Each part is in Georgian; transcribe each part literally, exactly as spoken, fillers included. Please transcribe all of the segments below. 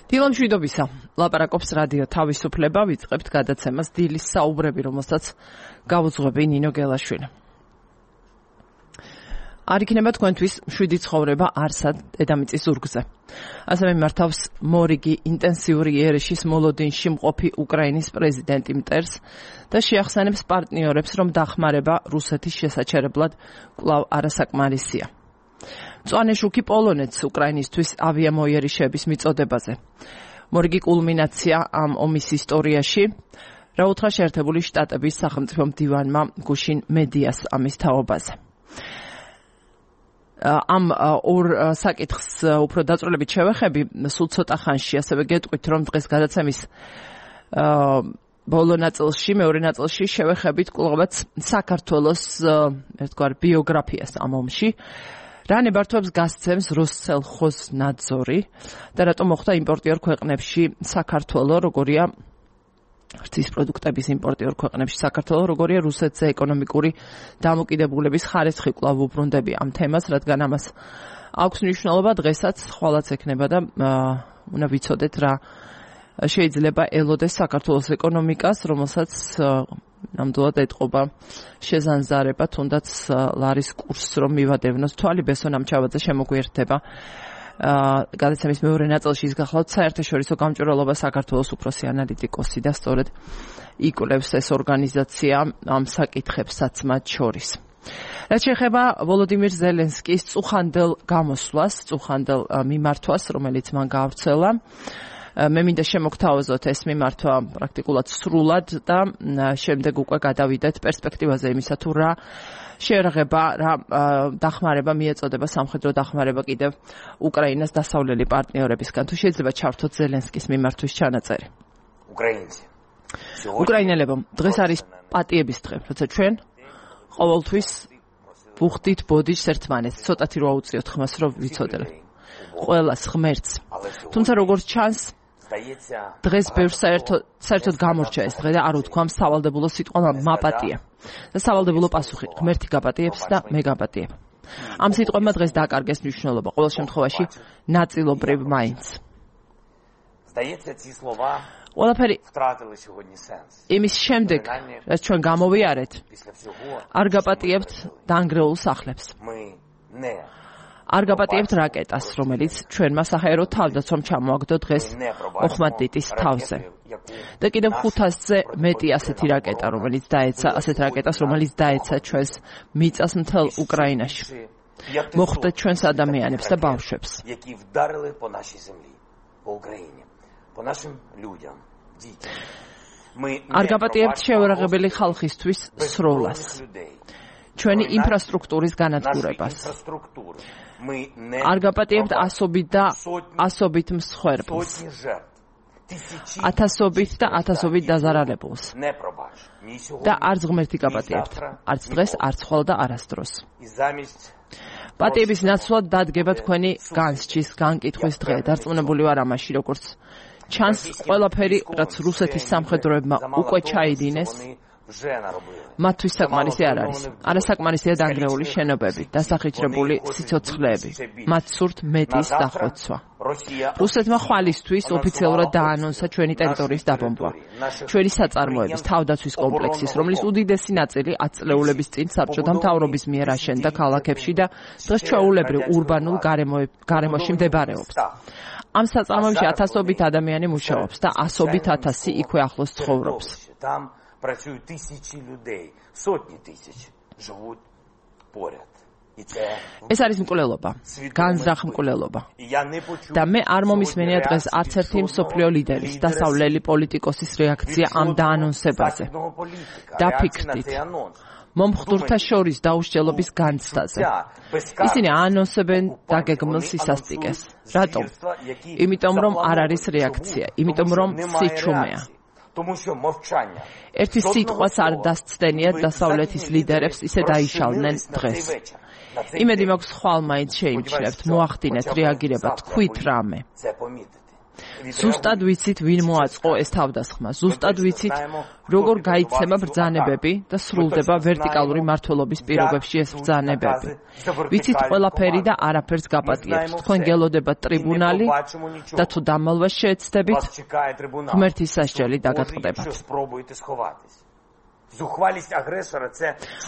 დილამშვიდობისა, ლაპარაკობს რადიო თავისუფლება, ვიწყებთ გადაცემას დილის საუბრები, რომელსაც გავუძღვები ნინო გელაშვილი. არ იქნება თქვენთვის მშვიდი ცხოვრება არსად დედამიწის ზურგზე. ასევე მართავს მორიგი ინტენსიური იერიშის მოლოდინში მყოფი უკრაინის პრეზიდენტი მტერს და შეახსენებს პარტნიორებს, რომ დახმარება რუსეთის შესაჩერებლად კვლავ არასაკმარისია. მწვანე შუქი პოლონეთს უკრაინისთვის ავიამოიერიშების მიწოდებაზე. მორიგი კულმინაცია ამ ომის ისტორიაში, რა უთხრა შეერთებული შტატების სახელმწიფო მდივანმა გუშინ მედიას ამის თაობაზე. ამ ორ საკითხს უფრო დაწვრილებით შევეხები სულ ცოტა ხანში, ასევე გეტყვით, რომ დღეს გადაცემის ბოლო ნაწილში, მეორე ნაწილში შევეხებით კვლავაც საქართველოს ერთგვარ ბიოგრაფიას ამ ომში. რა ნებართვებს გასცემს როსელხოზნაძორი და რატომ მოხდა იმპორტიორ ქვეყნებში საქართველო, როგორია ღვთის პროდუქტების იმპორტიორ ქვეყნებში საქართველო, როგორია რუსეთზე ეკონომიკური დამოკიდებულების ხარისხი კვლავ უბრუნდები ამ თემას, რადგან ამას აქვს მნიშვნელობა დღესაც, ხვალაც ექნება და უნდა ვიცოდეთ რა შეიძლება ელოდეს საქართველოს ეკონომიკას, რომელსაც ნამდვილად ეტყობა შეზანზარება, თუნდაც ლარის კურსს რომ მივადევნოს. თვალი ბესონ ამჩავაძე შემოგვიერთდება გადაცემის მეორე ნაწილში ის გახლავთ საერთაშორისო გამჭვირვალობა საქართველოს უფროსი ანალიტიკოსი და სწორედ იკვლევს ეს ორგანიზაცია ამ საკითხებსაც მათ შორის. რაც შეეხება ვოლოდიმირ ზელენსკის წუხანდელ გამოსვლას, წუხანდელ მიმართვას, რომელიც მან გაავრცელა, მე მინდა შემოგთავაზოთ ეს მიმართვა პრაქტიკულად სრულად და შემდეგ უკვე გადავიდეთ პერსპექტივაზე იმისა თუ რა შეერაღება, რა დახმარება მიეწოდება სამხედრო დახმარება კიდევ უკრაინას დასავლელი პარტნიორებისგან. თუ შეიძლება ჩავთოთ ზელენსკის მიმართვის ჩანაწერი. უკრაინელებო, დღეს არის პატიების დღე, როცა ჩვენ ყოველთვის ვუხდით ბოდიშს ერთმანეთს, ცოტათი რო აუწიოთ ხმას, რომ ვიცოდეთ. ყველას ღმერთს. თუმცა როგორც ჩანს, დღეს ბევრს საერთოდ საერთოდ გამორჩა ეს დღე და არ უთქვამს სავალდებულო სიტყვა მაპატია. და სავალდებულო პასუხი ღმერთი გაპატიებს და მე გაპატიებ. ამ სიტყვებმა დღეს დაკარგეს მნიშვნელობა, ყოველ შემთხვევაში ნაწილობრივ მაინც. ყველაფერი იმის შემდეგ, რაც ჩვენ გამოვიარეთ, არ გაპატიებთ დანგრეულ სახლებს. არ გაპატიებთ რაკეტას, რომელიც ჩვენმა საჰაერო თავდაცვამ ჩამოაგდო დღეს ოხმატდიტის თავზე. და კიდევ ხუთასზე მეტი ასეთი რაკეტა, რომელიც დაეცა, ასეთ რაკეტას, რომელიც დაეცა ჩვენს მიწას მთელ უკრაინაში. მოხვდეთ ჩვენს ადამიანებს და ბავშვებს. არ გაპატიებთ შეურაღებელი ხალხისთვის სროლას. ჩვენი ინფრასტრუქტურის განადგურებას. არ გაპატიებთ ასობით და ასობით მსხვერპლს. ათასობით და ათასობით დაზარალებულს. და არც ღმერთი გაპატიებთ. არც დღეს, არც ხვალ და არასდროს. პატიების ნაცვლად დადგება თქვენი განსჯის, განკითხვის დღე. დარწმუნებული ვარ ამაში, როგორც ჩანს, ყველაფერი, რაც რუსეთის სამხედროებმა უკვე ჩაიდინეს, მათთვის საკმარისი არ არის. არასაკმარისია დანგრეული შენობები, დასახიჩრებული სიცოცხლეები. მათ სურთ მეტის დახოცვა. რუსეთმა ხვალისთვის ოფიციალურად დაანონსა ჩვენი ტერიტორიის დაბომბვა. ჩვენი საწარმოების თავდაცვის კომპლექსის, რომლის უდიდესი ნაწილი ათ წლეულების წინ საბჭოთა მთავრობის მიერ აშენდა ქალაქებში და დღეს ჩვეულებრივ ურბანულ გარემოში მდებარეობს. ამ საწარმოებში ათასობით ადამიანი მუშაობს და ასობით ათასი იქვე ახლოს ცხოვრობს. Працюють тисячі людей, сотні тисяч живуть поряд. ეს არის მკვლელობა, განზრახ მკვლელობა. და მე არ მომისმენია დღეს არც ერთი მსოფლიო ლიდერის, დასავლელი პოლიტიკოსის რეაქცია ამ დაანონსებაზე. დაფიქრდით. მომხდურთა შორის დაუსჯელობის განცდაზე. ისინი აანონსებენ დაგეგმილ სისასტიკეს. რატომ? იმიტომ რომ არ არის რეაქცია, იმიტომ რომ სიჩუმეა. ერთი სიტყვაც არ დასცდენიათ დასავლეთის ლიდერებს, ისე დაიშალნენ დღეს. იმედი მაქვს ხვალ მაინც შეიმჩნევთ, მოახდინეთ რეაგირება, თქვით რამე. ზუსტად ვიცით ვინ მოაწყო ეს თავდასხმა. ზუსტად ვიცით როგორ გაიცემა ბრძანებები და სრულდება ვერტიკალური მმართველობის პირობებში ეს ბრძანებები. ვიცით ყველაფერი და არაფერს გაპატიებთ. თქვენ გელოდებათ ტრიბუნალი და თუ დამალვას შეეცდებით, ღმერთის სასჯელი დაგატყდებათ.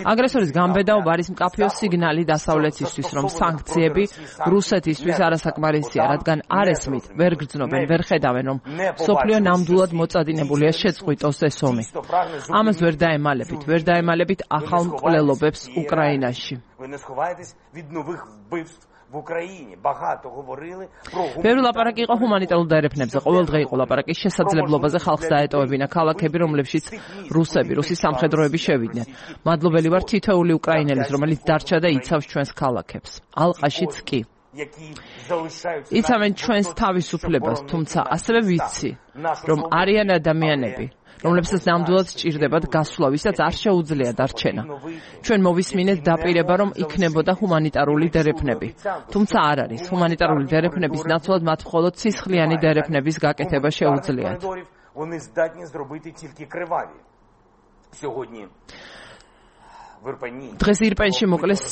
აგრესორის გამბედაობა არის მკაფიო სიგნალი დასავლეთისთვის, რომ სანქციები რუსეთისთვის არასაკმარისია, რადგან არ ესმით, ვერ გრძნობენ, ვერ ხედავენ, რომ მსოფლიო ნამდვილად მოწადინებულია შეწყვიტოს ეს ომი. ამას ვერ დაემალებით, ვერ დაემალებით ახალ მკვლელობებს უკრაინაში. в Украине багато говорили про ბევრი ლაპარაკი იყო ჰუმანიტარულ დაერეფნებზე. ყოველდღე იყო ლაპარაკი შესაძლებლობაზე ხალხს დაეტოვებინა ქალაქები, რომლებშიც რუსები, რუსი სამხედროები შევიდნენ. მადლობელი ვარ თითოეული უკრაინელის, რომელიც დარჩა და იცავს ჩვენს ქალაქებს. ალყაშიც კი. იცავენ ჩვენს თავისუფლებას, თუმცა ასევე ვიცი, რომ არიან ადამიანები, რომლებსაც ნამდვილად სჭირდებათ გასვლა, ვისაც არ შეუძლია დარჩენა. ჩვენ მოვისმინეთ დაპირება, რომ იქნებოდა ჰუმანიტარული დერეფნები. თუმცა არ არის. ჰუმანიტარული დერეფნების ნაცვლად მათ მხოლოდ სისხლიანი დერეფნების გაკეთება შეუძლიათ. დღეს ირპენში მოკლეს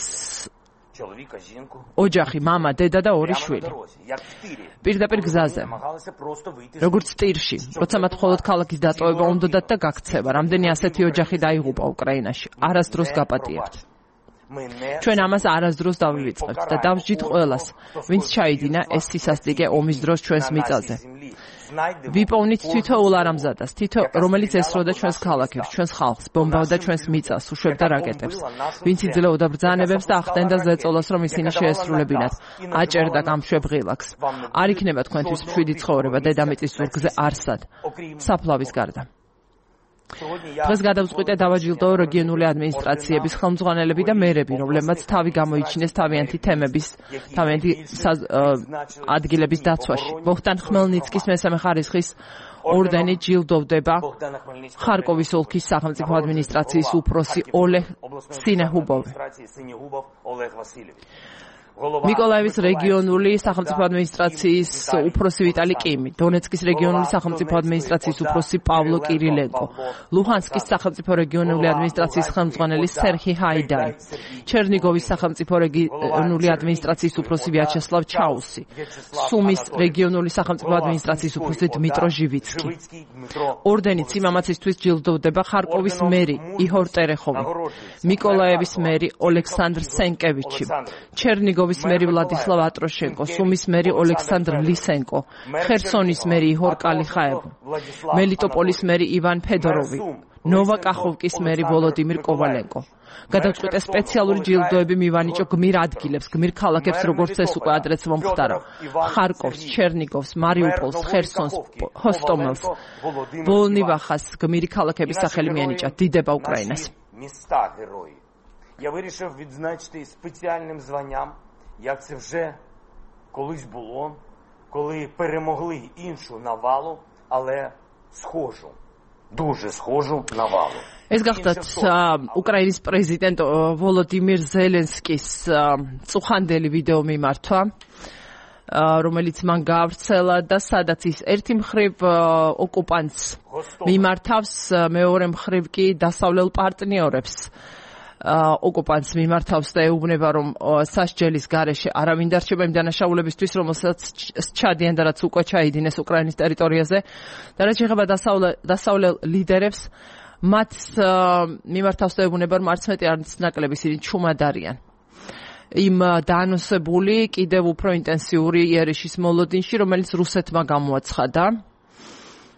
ოჯახი, მამა, დედა და ორი შვილი. პირდაპირ გზაზე. როგორც ტირში, როცა მათ მხოლოდ ქალაქის დატოვება უნდათ და გაქცევა. რამდენი ასეთი ოჯახი დაიღუპა უკრაინაში. არასდროს გაპატიებთ. ჩვენ ამას არასდროს დავივიწყებთ და დავსჯით ყველას, ვინც ჩაიდინა ეს სისასტიკე ომის დროს ჩვენს მიწაზე. ვიპოვნით თითოეულ არამზადას, თითო რომელიც ესროდა ჩვენს ქალაქებს, ჩვენს ხალხს, ბომბავდა ჩვენს მიწას, უშვებდა რაკეტებს, ვინც იძლეოდა ბრძანებებს და ახდენდა ზეწოლას, რომ ისინი შეესრულებინათ, აჭერდა გამშვებ ღილაკს. არ იქნება თქვენთვის მშვიდი ცხოვრება დედამიწის ზურგზე არსად, საფლავის გარდა. დღეს გადავწყვიტე დავაჯილდოო რეგიონული ადმინისტრაციების ხელმძღვანელები და მერები, რომლებმაც თავი გამოიჩინეს თავიანთი თემების, თავიანთი ადგილების დაცვაში. ბოჰდან ხმელნიცკის მესამე ხარისხის ორდენი ჯილდოვდება ხარკოვის ოლქის სახელმწიფო ადმინისტრაციის უფროსი ოლეღ სინეჰუბოვი. მიკოლაევის რეგიონული სახელმწიფო ადმინისტრაციის უფროსი ვიტალი კიმი, დონეცკის რეგიონული სახელმწიფო ადმინისტრაციის უფროსი პავლო კირილენკო, ლუჰანსკის სახელმწიფო რეგიონული ადმინისტრაციის ხელმძღვანელი სერხი ჰაიდარი, ჩერნიგოვის სახელმწიფო რეგიონული ადმინისტრაციის უფროსი ვიაჩესლავ ჩაუსი, სუმის რეგიონული სახელმწიფო ადმინისტრაციის უფროსი დმიტრო ჟივიცკი. ორდენით სიმამაცისთვის ჯილდოვდება ხარკოვის მერი იჰორ ტერეხოვი, მიკოლაევის მერი ოლექსანდრ სენკევიჩი, ჩერნიგოვის მერი ვლადისლავ ატროშენკო, სუმის მერი ოლექსანდრ ლისენკო, ხერსონის მერი იჰორ კალიხაევ, მელიტოპოლის მერი ივან ფედოროვი, ნოვა კახოვკის მერი ვოლოდიმირ კოვალენკო. გადავწყვიტე სპეციალური ჯილდოები მივანიჭო გმირ ადგილებს, გმირ ქალაქებს, როგორც ეს უკვე ადრეც მომხდარა. ხარკოვს, ჩერნიგოვს, მარიუპოლს, ხერსონს, ჰოსტომელს, ვოლნივახას გმირი ქალაქების სახელი მიანიჭა. დიდება უკრაინას. Я вирішив відзначити спеціальним званням, як це вже колись було, коли перемогли іншу навалу, але схожу, дуже схожу навалу. ეს გახლდათ უკრაინის პრეზიდენტ ვოლოდიმირ ზელენსკის წუხანდელი ვიდეო მიმართვა, რომელიც მან გაავრცელა და სადაც ის ერთი მხრივ ოკუპანტს მიმართავს, მეორე მხრივ კი დასავლელ პარტნიორებს ოკუპანტს მიმართავს და ეუბნება, რომ სასჯელის გარეშე არავინ დარჩება იმ დანაშაულებისთვის, რომელსაც ჩადიან და რაც უკვე ჩაიდინეს უკრაინის ტერიტორიაზე. და რაც შეეხება დასავლელ ლიდერებს, მათ მიმართავს და ეუბნება, რომ არც მეტი არც ნაკლები ისინი ჩუმად არიან. იმ დაანონსებული კიდევ უფრო ინტენსიური იერიშის მოლოდინში, რომელიც რუსეთმა გამოაცხადა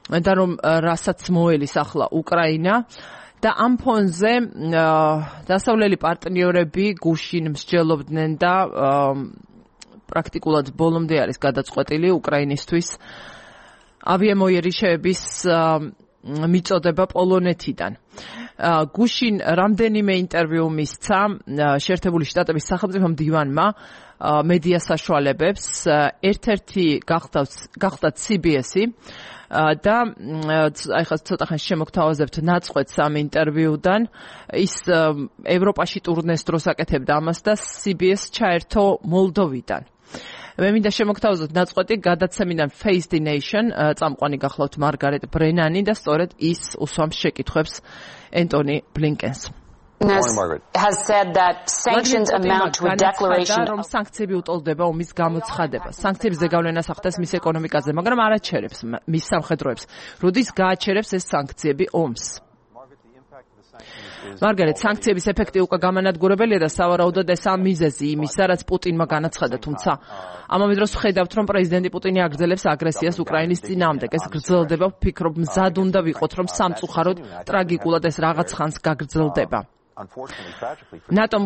და რომ რასაც მოელის ახლა უკრაინა. და ამ ფონზე დასავლელი პარტნიორები გუშინ მსჯელობდნენ და პრაქტიკულად ბოლომდე არის გადაწყვეტილი უკრაინისთვის ავიამოიერიშეების მიწოდება პოლონეთიდან. გუშინ რამდენიმე ინტერვიუ მისცა შეერთებული შტატების სახელმწიფო მდივანმა მედია საშუალებებს, ერთ-ერთი გახდათ სი ბი ესი და აი ხა ცოტა ხანს შემოგთავაზებთ ნაწყვეტს ამ ინტერვიუდან. ის ევროპაში ტურნეს დროს აკეთებდა ამას და სი ბი ეს ჩაერთო მოლდოვიდან. მე მინდა შემოგთავაზოთ ნაწყვეტი გადაცემიდან Face the Nation, წამყვანი გახლავთ მარგარეტ ბრენანი და სწორედ ის უსვამს შეკითხვებს ენტონი ბლინკენს. has said that sanctions amount to a declaration რომ სანქციები უტოლდება ომის გამოცხადებას. სანქციების ზეგავლენას ახდენს მის ეკონომიკაზე, მაგრამ არ აჩერებს მის სამხედროებს. როდის გააჩერებს ეს სანქციები ომს? მარგარეტ, სანქციების ეფექტი უკვე გამანადგურებელია და სავარაუდოდ ეს ამ მიზეზი იმისა, რაც პუტინმა განაცხადა, თუმცა ამავე დროს ვხედავთ, რომ პრეზიდენტი პუტინი აგრძელებს აგრესიას უკრაინის წინააღმდეგ. ეს გრძელდება, ვფიქრობ, მზად უნდა ვიყოთ, რომ სამწუხაროდ ტრაგიკულად ეს რაღაც ხანს გაგრძელდება. ნატომ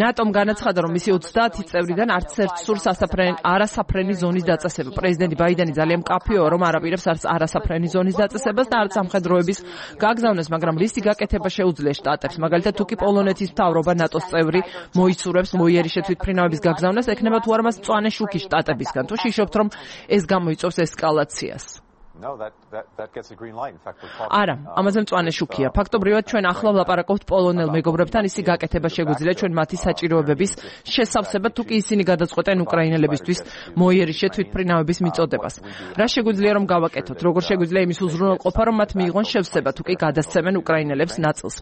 ნატომ განაცხადა, რომ მისი ოცდაათი წევრიდან არც ერთ სურს არასაფრენი ზონის დაწესება. პრეზიდენტი ბაიდენი ძალიან მკაფიოა, რომ არ აპირებს არც არასაფრენი ზონის დაწესებას და არც სამხედროების გაგზავნას, მაგრამ რისი გაკეთება შეუძლია შტატებს. მაგალითად, თუ კი პოლონეთის მთავრობა ნატოს წევრი მოიცურებს მოიერიშე თვითმფრინავების გაგზავნას, ექნება თუ არა მას მწვანე შუქი შტატებისგან. თუ შიშობთ, რომ ეს გამოიწვევს ესკალაციას? No, that that that gets a green light. In fact, we're talking. არა, ამაზე მწვანე შუქია. ფაქტობრივად ჩვენ ახლა ვლაპარაკობთ პოლონელ მეგობრებთან, ისი გაკეთება შეგვიძლია ჩვენ მათი საჭიროებების შესავსებად, თუ კი ისინი გადაწყვეტენ უკრაინელებისთვის მოიერიშე თვითმფრინავების მიწოდებას. რა შეგვიძლია რომ გავაკეთოთ? როგორ შეგვიძლია იმის უზრუნველყოფა, რომ მათ მიიღონ შევსება, თუ კი გადასცემენ უკრაინელებს ნაწილს?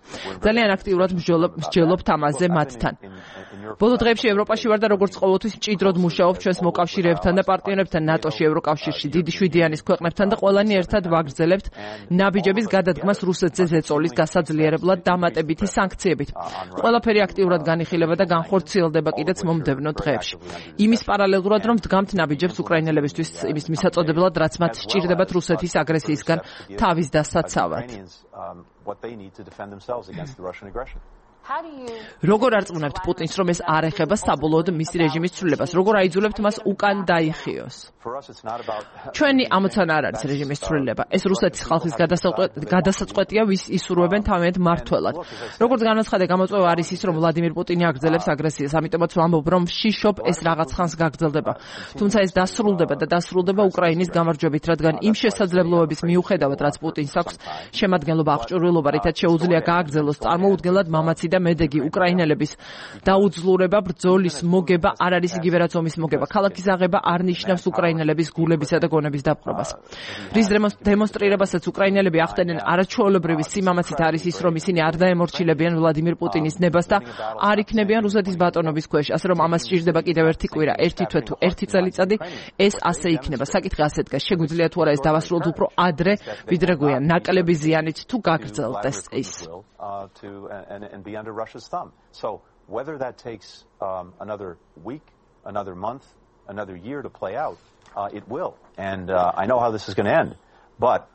ძალიან აქტიურად მსჯელობთ ამაზე მათთან. ბოლო დღეებში ევროპაში ვარ და როგორც ყოველთვის მჭიდროდ მუშაობ ჩვენს მოკავშირეებთან და პარტნიორებთან ნატოში, ევროკავშირში, დიდი შვიდიანის ქვეყნებთან და ყველანი ერთად ვაგრძელებთ ნაბიჯების გადადგმას რუსეთზე ზეწოლის გასაძლიერებლად დამატებითი სანქციებით. ყველაფერი აქტიურად განიხილება და განხორციელდება კიდეც მომდევნო დღეებში. იმის პარალელურად, რომ ვდგამთ ნაბიჯებს უკრაინელებისთვის იმის მისაწოდებლად, რაც მათ სჭირდებათ რუსეთის აგრესიისგან თავის დასაცავად. როგორ არწმუნებთ პუტინს, რომ ეს არ ეხება საბოლოოდ მისი რეჟიმის ცვლილებას? როგორ აიძულებთ მას უკან დაიხიოს? ჩვენი ამოცანა არ არის რეჟიმის ცვლილება. ეს რუსეთის ხალხის გადასაწყვეტია, ვის ისურვებენ თავიანთ მმართველად. როგორც განაცხადა, გამოწვევა არის ის, რომ ვლადიმირ პუტინი აგრძელებს აგრესიას, ამიტომაც ვამბობ, რომ შიშობ ეს რაღაც ხანს გაგრძელდება. თუმცა ეს დასრულდება და დასრულდება უკრაინის გამარჯვებით, რადგან იმ შესაძლებლობების მიუხედავად, რაც პუტინს აქვს, შემადგენლობა აღჭურვილობა, რითაც შეუძლია გააგრძელოს წარმოუდგენლად მამაცი და მედეგი უკრაინელების დაუძლურება, ბრძოლის მოგება არ არის იგივე რაც ომის მოგება. ქალაქის აღება არ ნიშნავს უკრაინელების გულებისა და გონების დაპყრობას. რის დემონსტრირებასაც უკრაინელები ახდენენ არაჩვეულებრივი სიმამაცით არის ის, რომ ისინი არ დაემორჩილებიან ვლადიმირ პუტინის ნებას და არ იქნებიან რუსეთის ბატონობის ქვეშ. ასე რომ ამას სჭირდება კიდევ ერთი კვირა, ერთი თვე თუ ერთი წელიწადი, ეს ასე იქნება. საკითხი ასე დგას, შეგვიძლია თუ არა ეს დავასრულოთ უფრო ადრე, ვიდრე გვიან, ნაკლები ზიანით თუ გაგრძელდეს ის. Uh, to and, and be under Russia's thumb. So whether that takes um, another week, another month, another year to play out, uh, it will. And uh, I know how this is going to end. But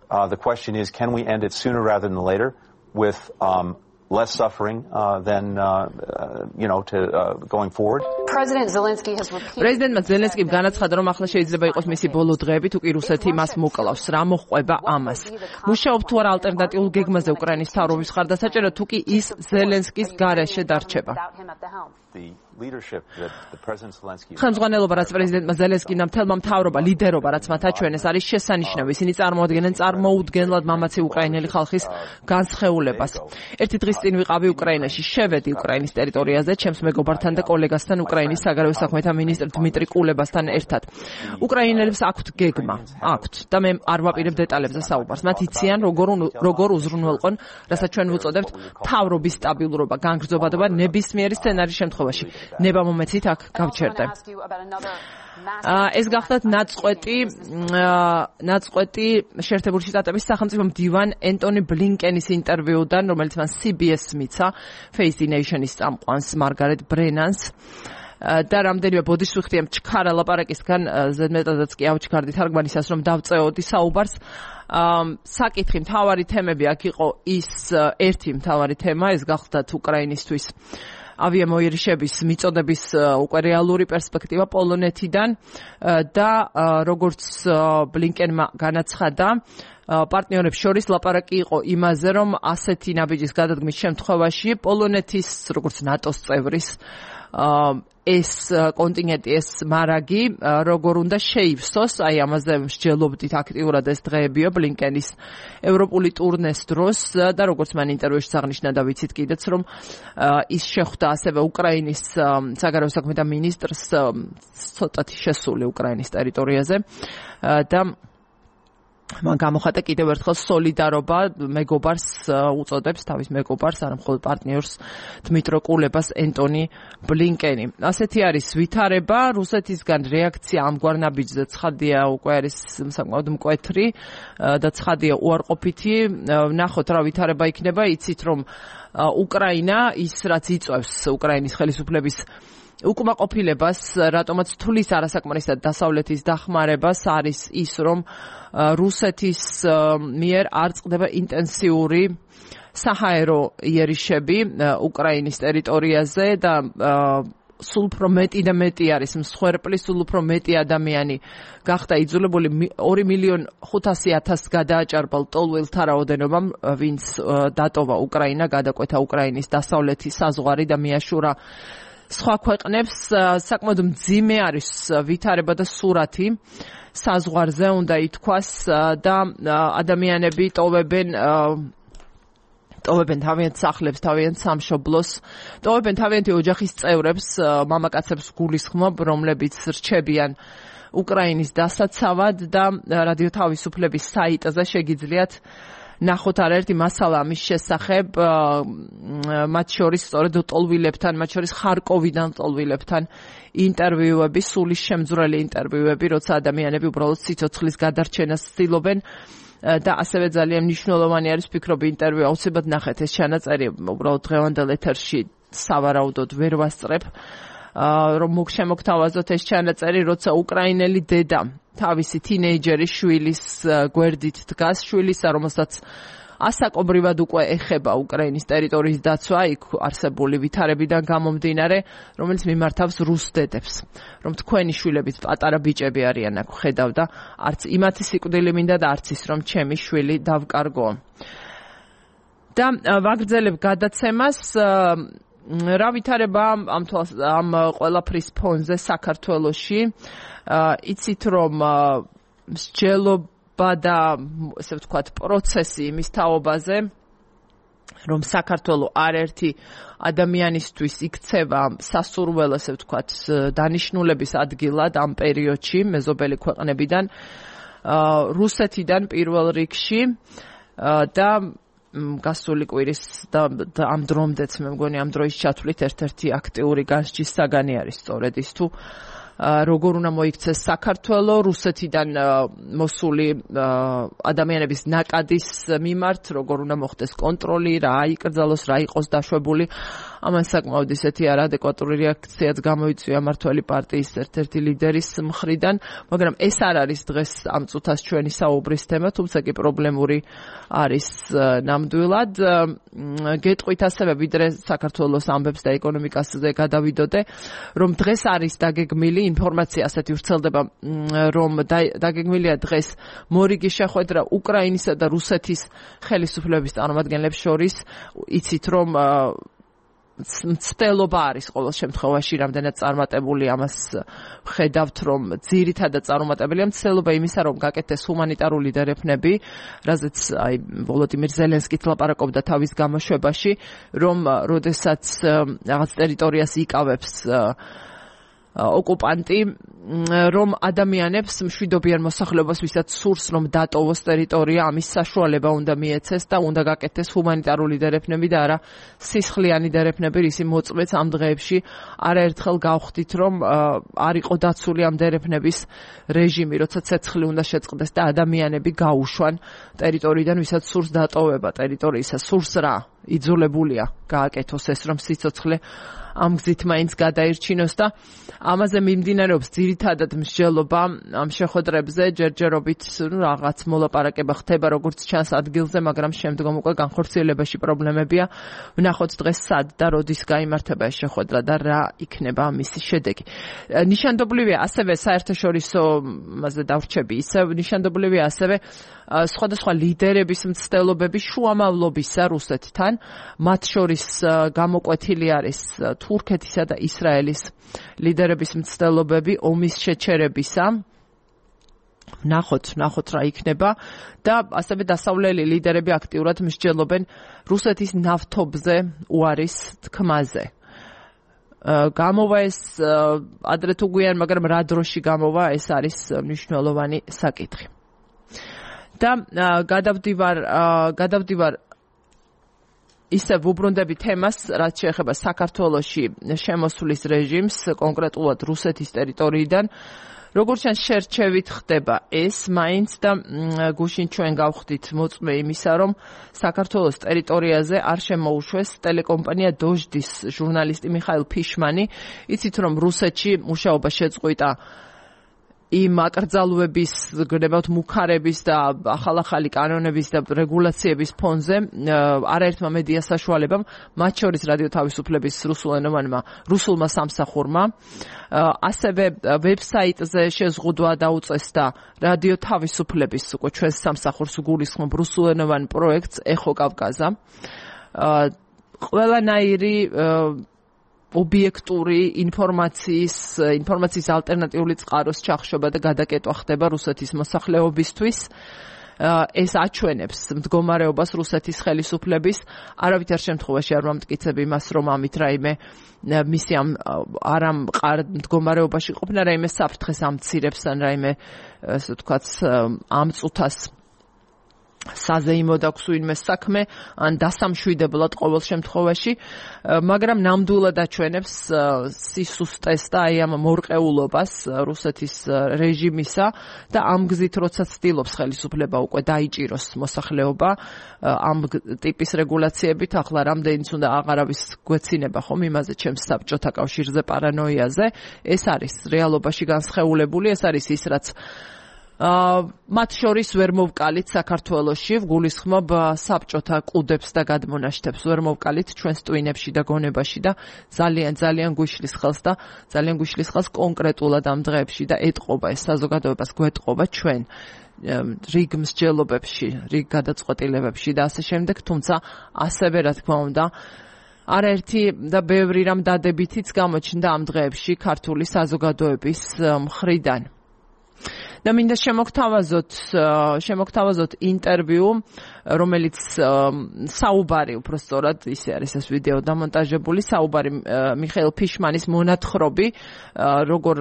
uh, the question is, can we end it sooner rather than later with um, less suffering uh, than uh, uh, you know to uh, going forward? President Zelensky has repeated. President Zelensky განაცხადა, რომ ახლა შეიძლება იყოს მისი ბოლო დღეები, თუ კი რუსეთი მას მოკლავს. რა მოხდება ამას? მუშაობთ თუ არა ალტერნატიულ გეგმაზე უკრაინის მთავრობის მხარდასაჭერად, თუ კი ის ზელენსკის გარეშე დარჩება? ხელმძღვანელობა, რაც პრეზიდენტმა ზელენსკიმ მთელმა მთავრობა, ლიდერობა, რაც მათ აჩვენეს, არის შესანიშნავი. ისინი წარმოადგენენ წარმოუდგენლად მამაცი უკრაინელი ხალხის განსხეულებას. ერთი დღის წინ ვიყავი უკრაინაში, შევედი უკრაინის ტერიტორიაზე, ჩემს მეგობართან და კოლეგასთან, უკრაინის საგარეო საქმეთა მინისტრ დმიტრი კულებასთან ერთად. უკრაინელებს აქვთ გეგმა, აქვთ და მე არ ვაპირებ დეტალებზე საუბარს. მათ იციან, როგორ როგორ უზრუნველყონ, რასაც ჩვენ ვუწოდებთ მთავრობის სტაბილურობა, განგრძობადობა ნებისმიერი სცენარის შემთხვევაში. ნება მომეცით აქ გავჩერდე. ეს გახლავთ ნაწყვეტი ნაწყვეტი შეერთებული შტატების სახელმწიფო მდივან ენტონი ბლინკენის ინტერვიუდან, რომელიც მან C B S მიცა Face the Nation-ის წამყვანს მარგარეტ ბრენანს და რამდენიმე ბოდიშვიხტია მჩქარა ლაპარაკისგან, ზედმეტადაც კი ავჩქარდი თარგმანისას, რომ დავწეოდი საუბარს. საკითხი, მთავარი თემები აქ იყო ის ერთი მთავარი თემა, ეს გახლავთ უკრაინისთვის ავიამოიერიშების მიწოდების უკვე რეალური პერსპექტივა პოლონეთიდან და როგორც ბლინკენმა განაცხადა, პარტნიორებს შორის ლაპარაკი იყო იმაზე, რომ ასეთი ნაბიჯის გადადგმის შემთხვევაში პოლონეთის, როგორც ნატოს წევრის ეს კონტინენტი, ეს მარაგი როგორ უნდა შეივსოს, აი ამაზე მსჯელობდით აქტიურად ეს დღეებიო ბლინკენის ევროპული ტურნეს დროს და როგორც მან ინტერვიუში აღნიშნა და ვიცით კიდეც რომ ის შეხვდა ასევე უკრაინის საგარეო საქმეთა მინისტრს ცოტათი შესული უკრაინის ტერიტორიაზე და მან გამოხატა კიდევ ერთხელ სოლიდარობა მეგობარს უწოდებს თავის მეგობარს არა მხოლოდ პარტნიორს დმიტრო კულებას ენტონი ბლინკენი. ასეთი არის ვითარება, რუსეთისგან რეაქცია ამგვარ ნაბიჯზე ცხადია უკვე არის საკმაოდ მკვეთრი და ცხადია უარყოფითი. ნახოთ რა ვითარება იქნება, იცით რომ უკრაინა ის რაც იწვევს უკრაინის ხელისუფლების უკმაყოფილებას, რატომაც თulis არასაკმარისად დასავლეთის დახმარებას არის ის, რომ რუსეთის მიერ არ წყდება ინტენსიური საჰაერო იერიშები უკრაინის ტერიტორიაზე და სულ უფრო მეტი და მეტი არის მსხვერპლი, სულ უფრო მეტი ადამიანი გახდა იძულებული ორი მილიონი ხუთასი ათასს გადააჭარბა ლტოლვილთა რაოდენობამ, ვინც დატოვა უკრაინა, გადაკვეთა უკრაინის დასავლეთი საზღვარი და მიაშურა სხვა ქვეყნებს. საკმაოდ მძიმე არის ვითარება და სურათი საზღვარზე უნდა ითქვას და ადამიანები ტოვებენ ტოვებენ თავიანთ სახლებს, თავიანთ სამშობლოს, ტოვებენ თავიანთი ოჯახის წევრებს, მამაკაცებს გულისხმობ, რომლებიც რჩებიან უკრაინის დასაცავად და რადიო თავისუფლების საიტზე შეგიძლიათ ნახოთ არაერთი მასალა ამის შესახებ, მათ შორის სწორედ ლტოლვილებთან, მათ შორის ხარკოვიდან ლტოლვილებთან ინტერვიუები, სულის შემძვრელი ინტერვიუები, როცა ადამიანები უბრალოდ სიცოცხლის გადარჩენას ცდილობენ და ასევე ძალიან მნიშვნელოვანი არის ვფიქრობ ინტერვიუ აუცილებლად ნახეთ ეს ჩანაწერი, უბრალოდ დღევანდელ ეთერში სავარაუდოდ ვერ ვასწრებ, რომ მოგშემოგთავაზოთ ეს ჩანაწერი, როცა უკრაინელი დედა თავისი თინეიჯერის შვილის გვერდით დგას, შვილისა, რომელსაც ასაკობრივად უკვე ეხება უკრაინის ტერიტორიის დაცვა, იქ არსებული ვითარებიდან გამომდინარე, რომელიც მიმართავს რუს დედებს, რომ თქვენი შვილებით პატარა ბიჭები არიან აქ ხედავ და არც იმათი სიკვდილი მინდა და არც ის რომ ჩემი შვილი დავკარგო. და ვაგრძელებ გადაცემას რა ვითარება ამ ამ ყველაფრის ფონზე საქართველოში. იცით რომ მსჯელობა და ესე ვთქვათ პროცესი იმის თაობაზე, რომ საქართველო არაერთი ადამიანისთვის იქცევა სასურველო ესე ვთქვათ დანიშნულების ადგილად ამ პერიოდში მეზობელი ქვეყნებიდან, რუსეთიდან პირველ რიგში და გასული კვირის და ამ დრომდეც მე მგონი ამ დროის ჩათვლით ერთ-ერთი აქტიური განსჯის საგანი არის სწორედ ის თუ როგორ უნდა მოიქცეს საქართველო რუსეთიდან მოსული ადამიანების ნაკადის მიმართ, როგორ უნდა მოხდეს კონტროლი, რა იკრძალოს, რა იყოს დაშვებული. ამან საკმაოდ ისეთი არაადეკვატური რეაქციაც გამოიწვია მმართველი პარტიის ერთ-ერთი ლიდერის მხრიდან, მაგრამ ეს არ არის დღეს ამ წუთას ჩვენი საუბრის თემა, თუმცა კი პრობლემური არის ნამდვილად. გეტყვით ასევე ვიდრე საქართველოს ამბებს და ეკონომიკაზე გადავიდოდე, რომ დღეს არის დაგეგმილი ინფორმაცია ასეთი ვრცელდება, რომ დაგეგმილია დღეს მორიგი შეხვედრა უკრაინისა და რუსეთის ხელისუფლების წარმომადგენლებს შორის. იცით რომ მცდელობა არის ყოველ შემთხვევაში რამდენად წარმატებული, ამას ხედავთ რომ ძირითადად წარმატებელია მცდელობა იმისა, რომ გაკეთდეს ჰუმანიტარული დერეფნები, რაზეც აი ვოლოდიმირ ზელენსკით ლაპარაკობდა თავის გამოშვებაში, რომ როდესაც რაღაც ტერიტორიას იკავებს ოკუპანტი, რომ ადამიანებს მშვიდობიან მოსახლეობას, ვისაც სურს რომ დატოვოს ტერიტორია, ამის საშუალება უნდა მიეცეს და უნდა გაკეთდეს ჰუმანიტარული დერეფნები და არა სისხლიანი დერეფნები, რისი მოწმეც ამ დღეებში არაერთხელ გავხდით, რომ არ იყო დაცული ამ დერეფნების რეჟიმი, როცა ცეცხლი უნდა შეწყდეს და ადამიანები გაუშვან ტერიტორიიდან, ვისაც სურს დატოვება ტერიტორიისა, სურს რა, იძულებულია გააკეთოს ეს, რომ სიცოცხლე ამ გზით მაინც გადაირჩინოს და ამაზე მიმდინარეობს ძირითადად მსჯელობა ამ შეხვედრებზე, ჯერჯერობით რაღაც მოლაპარაკება ხდება როგორც ჩანს ადგილზე, მაგრამ შემდგომ უკვე განხორციელებაში პრობლემებია. ვნახოთ დღეს სად და როდის გაიმართება ეს შეხვედრა და რა იქნება მისი შედეგი. ნიშანდობლივია ასევე საერთაშორისო მასზე დავრჩები, ისევ ნიშანდობლივია ასევე სხვადასხვა ლიდერების მცდელობები შუამავლობისა რუსეთთან, მათ შორის გამოკვეთილი არის თურქეთისა და ისრაელის ლიდერების მცდელობები ომის შეჩერებისა. ნახოთ, ნახოთ რა იქნება და ასევე დასავლელი ლიდერები აქტიურად მსჯელობენ რუსეთის ნავთობზე უარის თქმაზე. გამოვა ეს ადრე თუ გვიან, მაგრამ რა დროში გამოვა, ეს არის მნიშვნელოვანი საკითხი. და გადავდივარ გადავდივარ ისე ვუბრუნდები თემას, რაც შეეხება საქართველოში შემოსვლის რეჟიმს, კონკრეტულად რუსეთის ტერიტორიიდან. როგორც შენ შერჩევით ხდება ეს მაინც და გუშინ ჩვენ გავხდით მოწმე იმისა, რომ საქართველოს ტერიტორიაზე არ შემოუშვეს ტელეკომპანია დოჟდის ჟურნალისტი მიხაილ ფიშმანი. იცით რომ რუსეთში მუშაობა შეწყვიტა იმ აკრძალვების, გნებავთ მუქარების და ახალ-ახალი კანონების და რეგულაციების ფონზე არაერთმა მედია საშუალებამ, მათ შორის რადიო თავისუფლების რუსულენოვანმა რუსულმა სამსახურმა, ასევე ვებსაიტზე შეზღუდვა დაუწეს და რადიო თავისუფლების უკვე ჩვენს სამსახურს გულისხმობ რუსულენოვან პროექტს ეხო კავკაზა. ყველანაირი ობიექტური ინფორმაციის ინფორმაციის ალტერნატიული წყაროს ჩახშობა და გადაკეტვა ხდება რუსეთის მოსახლეობისთვის. ეს აჩვენებს მდგომარეობას რუსეთის ხელისუფლების. არავითარ შემთხვევაში არ მომტკიცებ იმას, რომ ამით რაიმე მისი ამ არ ამ მდგომარეობაში ყოფნა რაიმე საფრთხეს ამცირებს ან რაიმე ასე ვთქვათ ამ წუთას საზეიმო დაქვს ვინმე საქმე ან დასამშვიდებლად ყოველ შემთხვევაში, მაგრამ ნამდვილად აჩვენებს სისუსტეს და აი ამ მორყეულობას რუსეთის რეჟიმისა და ამ გზით როცა ცდილობს ხელისუფლება უკვე დაიჭიროს მოსახლეობა ამ ტიპის რეგულაციებით, ახლა რამდენიც უნდა აღარავის გვეცინება ხომ იმაზე ჩემს საბჭოთა კავშირზე პარანოიაზე, ეს არის რეალობაში განსხეულებული, ეს არის ის რაც მათ შორის ვერ მოვკალით საქართველოში, ვგულისხმობ საბჭოთა კუდებს და გადმონაშთებს, ვერ მოვკალით ჩვენს ტვინებში და გონებაში და ძალიან ძალიან გვიშლის ხელს და ძალიან გვიშლის ხელს კონკრეტულად ამ დღეებში და ეტყობა ეს საზოგადოებას გვეტყობა ჩვენ რიგ მსჯელობებში, რიგ გადაწყვეტილებებში და ასე შემდეგ, თუმცა ასევე რა თქმა უნდა არაერთი და ბევრი რამ დადებითიც გამოჩნდა ამ დღეებში ქართული საზოგადოების მხრიდან. და მინდა შემოგთავაზოთ შემოგთავაზოთ ინტერვიუ, რომელიც საუბარი უბრალოდ ისე არის ეს ვიდეო დამონტაჟებული, საუბარი მიხეილ ფიშმანის მონათხრობი, როგორ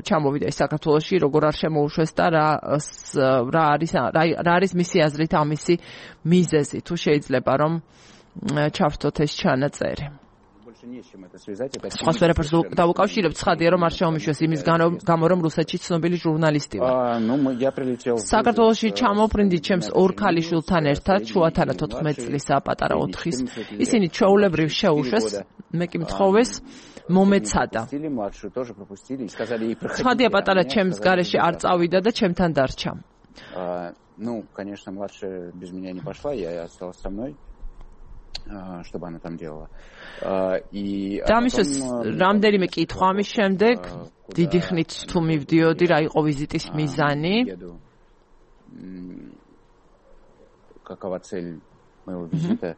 ჩამოვიდა ის საქართველოში, როგორ არ შემოუშვეს და რა რა არის რა არის მისი აზრით ამისი მიზეზი, თუ შეიძლება რომ ჩავთოთ ეს ჩანაწერი. Სხვა ვერაფერს დავუკავშირებთ, ცხადია რომ არ შემომიშვეს იმის გამო რომ რუსეთში ცნობილი ჟურნალისტი ვარ. საქართველოში ჩამოვფრინდი ჩემს ორ ქალიშვილთან ერთად, შუათანა თოთხმეტ წლისა, პატარა ოთხის. ისინი ჩვეულებრივ შეუშვეს, მე კი მთხოვეს მომეცადა. ცხადია პატარა ჩემს გარეშე არ წავიდა და ჩემთან დარჩა. Ну, конечно, младшая без меня не пошла, я осталась со мной. Чтобы она там делала. И დამისვეს რამდენიმე კითხვა ამის შემდეგ დიდი ხნით თუ მივდიოდი რა იყო ვიზიტის მიზანი. Какова цель моего визита?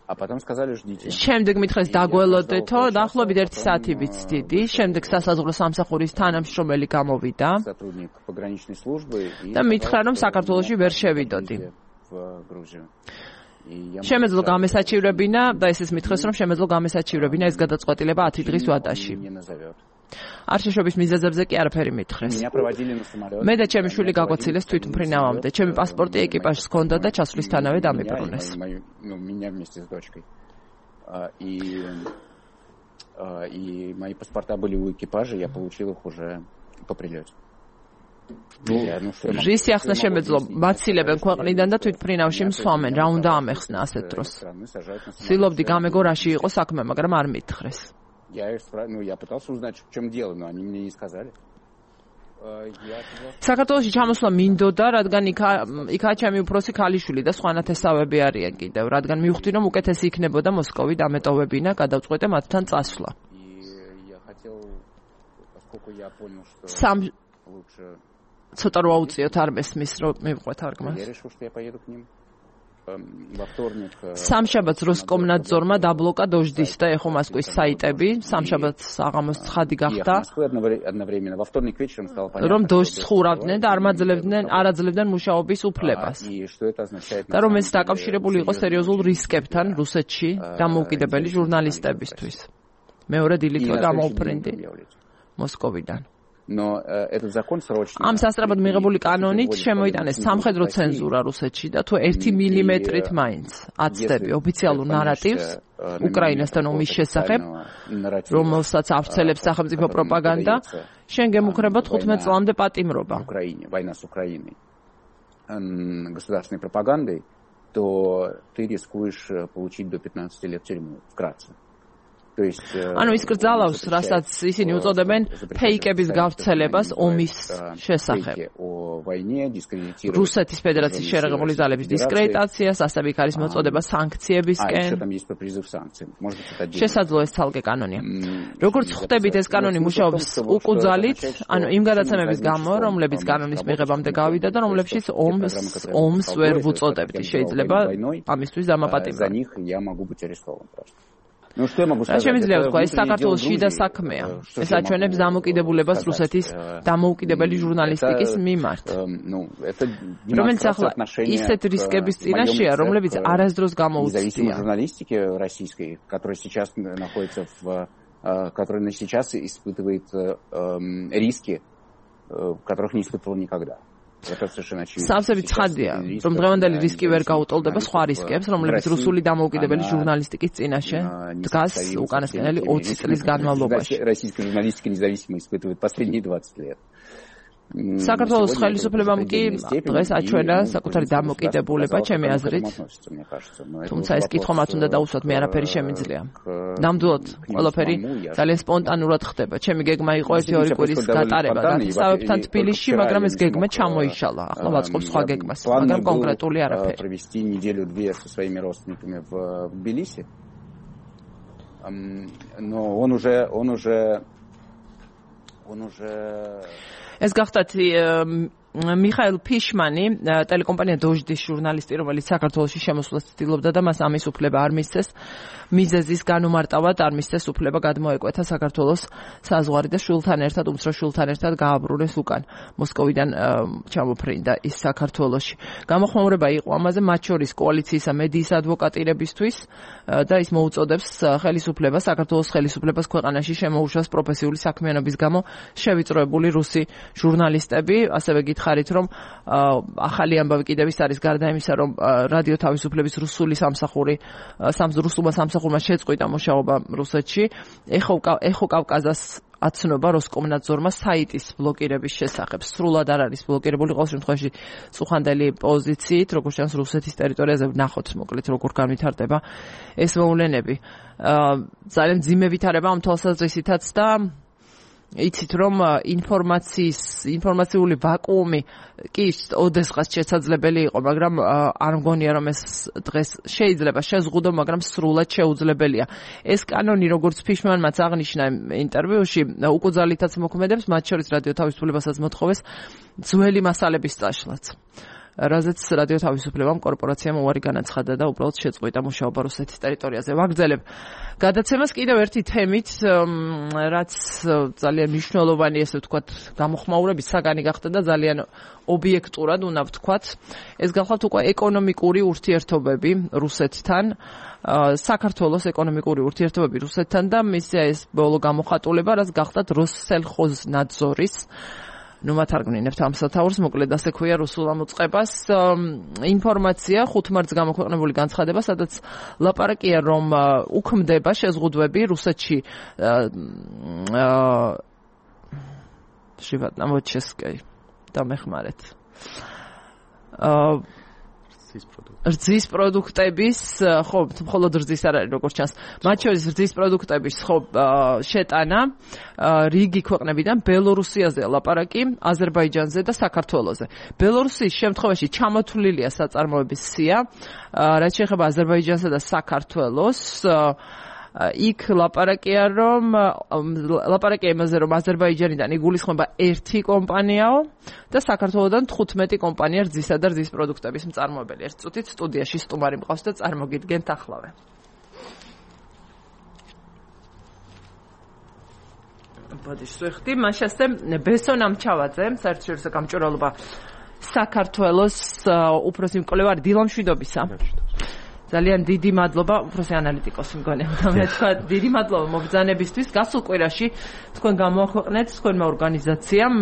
А потом сказали, ждите. შემდეგ მითხეს დაგველოდეთო, დაახლოებით ერთი საათი ვიცდიდი. შემდეგ სასაზღვრო სამსახურის თანამშრომელი გამოვიდა. Сотрудник пограничной службы. და მითხრა რომ საქართველოში ვერ შევიდოდი. В Грузию. შემეძლო გამესაჩივრებინა და ესეც მითხრეს რომ შემეძლო გამესაჩივრებინა ეს გადაწყვეტილება ათი დღის ვადაში. არ შეშობის მიზეზებზე კი არაფერი მითხრეს. მე და ჩემი შვილი გაგვაცილეს თვითმფრინავამდე. ჩემი პასპორტი ეკიპაჟს ჰქონდა და ჩასვლისთანავე დამიბრუნეს. И мои паспорта были у экипажа, я получил их уже по прилете. ჟისი ახსნა შემეძლო მაცილებენ ქვეყნიდან და თვითმფრინავში მსვამენ, რა უნდა ამეხსნა ასეთ დროს. ცდილობდი გამეგო რაში იყო საქმე, მაგრამ არ მითხრეს. საქართველოში ჩამოსვლა მინდოდა, რადგან იქაა ჩემი უფროსი ქალიშვილი და სხვა ნათესავები არიან კიდევ, რადგან მივხვდი რომ უკეთესი იქნებოდა მოსკოვი დამეტოვებინა, გადავწყვეტე მათთან წასვლა. სამ ცოტა რო აუწიოთ არ მესმის რომ მივყვე თარგმანს. Я решил, что я поеду к ним. სამშაბათს როსკომნადზორმა დაბლოკა დოჟდის და ეხო მოსკოვის საიტები, სამშაბათს აღამოს ცხადი გახდა, რომ დოჟს ხურავდნენ და არ მაძლევდნენ, არ აძლევდნენ მუშაობის უფლებას. და რომ ეს დაკავშირებული იყო სერიოზულ რისკებთან რუსეთში დამოუკიდებელი ჟურნალისტებისთვის. მეორე დილით გამოუფრინდი მოსკოვიდან. ამ სასწრაფოდ მიღებული კანონით შემოიტანეს სამხედრო ცენზურა რუსეთში და თუ ერთი მილიმეტრით მაინც აცდები ოფიციალურ ნარატივს უკრაინასთან ომის შესახებ, რომელსაც ავრცელებს სახელმწიფო პროპაგანდა, შენ გემუქრება თხუთმეტ წლამდე პატიმრობა. государственной пропагандой, то ты рискуешь получить до пятнадцати лет тюрьмы вкратце. ანუ ის კრძალავს, რასაც ისინი უწოდებენ ფეიკების გავრცელებას ომის შესახებ. რუსეთის ფედერაციის შეერაღებული ძალების დისკრედიტაციას, ასევე იქ არის მოწოდება სანქციებისკენ. შესაძლოა ეს ცალკე კანონია. როგორც ხვდებით, ეს კანონი მუშაობს უკუძალით, ანუ იმ გადაცემების გამო, რომლებიც კანონის მიღებამდე გავიდა და რომლებშიც ომს ომს ვერ ვუწოდებთ. შეიძლება ამისთვის დამაპატიმრება. რა შემიძლია ვთქვა, ეს საქართველოს შიდა საქმეა. ეს აჩვენებს დამოუკიდებლობას რუსეთის დამოუკიდებელი ჟურნალისტიკის მიმართ. რომელიც ახლა ისეთ რისკების წინაშეა, რომლებიც არასდროს გამოუცდია. который сейчас испытывает риски, которых не испытывал никогда. სამსები ცხადია, რომ დღევანდელი რისკი ვერ გაუტოლდება სხვა რისკებს, რომლებიც რუსული დამოუკიდებელი ჟურნალისტიკის წინაშე დგას უკანასკნელი ოცი წლის განმავლობაში. საქართველოს ხელისუფლებამ კი დღეს აჩვენა საკუთარი დამოუკიდებლობა, ჩემი აზრით. თუმცა ეს კითხვა მათ უნდა დაუსვათ, მე არაფერი შემიძლია. ნამდვილად ყველაფერი ძალიან სპონტანურად ხდება. ჩემი გეგმა იყო ერთი ორი კვირის გატარება დაწესებებთან თბილისში, მაგრამ ეს გეგმა ჩამოიშალა. ახლა ვაწყობ სხვა გეგმას, მაგრამ კონკრეტული არაფერი. но он уже он уже он уже ეს გახდათ მიხაილ ფიშმანი, ტელეკომპანია დოჟდის ჟურნალისტი, რომელიც საქართველოში შემოსვლას ცდილობდა და მას ამის უფლება არ მისცეს. მიზეზის განუმარტავად არ მისცეს უფლება გადმოეკვეთა საქართველოს საზღვარი და შულთან ერთად, უმცროს შულთან ერთად გააბრუნეს უკან. მოსკოვიდან ჩამოფრინდა ის საქართველოში. გამოხმაურება იყო ამაზე მათ შორის კოალიციისა მედიის ადვოკატირებისთვის და ის მოუწოდებს ხელისუფლებას, საქართველოს ხელისუფლებას ქვეყანაში შემოუშვას პროფესიული საქმიანობის გამო შევიწროებული რუსი ჟურნალისტები, ასევე გითხარით, რომ ახალი ამბავი კიდევ ის არის გარდა იმისა, რომ რადიო თავისუფლების რუსული სამსახური რუსულმა სამსახურმა შეწყვიტა მუშაობა რუსეთში, ეხო კავკაზას აცნობა როსკომნადზორმა საიტის ბლოკირების შესახებ. სრულად არ არის ბლოკირებული, ყოველ შემთხვევაში წუხანდელი პოზიციით, როგორც ჩანს რუსეთის ტერიტორიაზე ვნახოთ, მოკლედ როგორ განვითარდება ეს მოვლენები. ძალიან ძიმე ვითარება ამ თვალსაზრისითაც და იცით რომ ინფორმაციის ინფორმაციული ვაკუუმი კი ოდესღაც შესაძლებელი იყო, მაგრამ არ მგონია რომ ეს დღეს შეიძლება შეზღუდო, მაგრამ სრულად შეუძლებელია. ეს კანონი, როგორც ფიშმანმაც აღნიშნა ინტერვიუში, უკუძალითაც მოქმედებს, მათ შორის რადიო თავისუფლებასაც მოთხოვეს ძველი მასალების წაშლაც. რაზეც რადიო თავისუფლებამ კორპორაციამ უარი განაცხადა და უბრალოდ შეწყვიტა მუშაობა რუსეთის ტერიტორიაზე. ვაგრძელებ გადაცემას კიდევ ერთი თემით, რაც ძალიან მნიშვნელოვანი, ესე ვთქვათ, გამოხმაურების საგანი გახდა და ძალიან ობიექტურად უნდა ვთქვათ. ეს გახლავთ უკვე ეკონომიკური ურთიერთობები რუსეთთან, საქართველოს ეკონომიკური ურთიერთობები რუსეთთან და მისი ეს ბოლო გამოხატულება, რაც გახლავთ როსსელხოზნადზორის ნუ მათარგმნინებთ ამ სათაურს, მოკლედ ასე ქვია რუსულ ამოწყებას. ინფორმაცია ხუთ მარტს გამოქვეყნებული განცხადება, სადაც ლაპარაკია, რომ უქმდება შეზღუდვები რუსეთში შევატნა მოჩესკი დამეხმარეთ. რძის პროდუქტების, ხო, მხოლოდ რძის არ არის, როგორც ჩანს. მათ შორის რძის პროდუქტების, ხო, შეტანა რიგი ქვეყნებიდან ბელორუსიაზე ლაპარაკი, აზერბაიჯანზე და საქართველოზე. ბელორუსიის შემთხვევაში ჩამოთვლილია საწარმოების სია, რაც შეეხება აზერბაიჯანსა და საქართველოს. იქ ლაპარაკია რომ ლაპარაკია იმაზე რომ აზერბაიჯანიდან იგულისხმება ერთი კომპანიაო და საქართველოსდან თხუთმეტი კომპანია რძისა და რძის პროდუქტების მწარმოებელი. ერთ წუთით სტუდიაში სტუმარი მყავს და წარმოგიდგენთ ახლავე. ბოდიშ ვეხდი მაშასე ბესონ ამჩავაძე საერთაშორისო გამჭვირვალობა საქართველოს უფროსი მკვლევარი დილამშვიდობისა. ძალიან დიდი მადლობა უფროსი ანალიტიკოსი მგონი. მე თქვა დიდი მადლობა მობრძანებისთვის. გასულ კვირაში თქვენ გამოაქვეყნეთ თქვენმა ორგანიზაციამ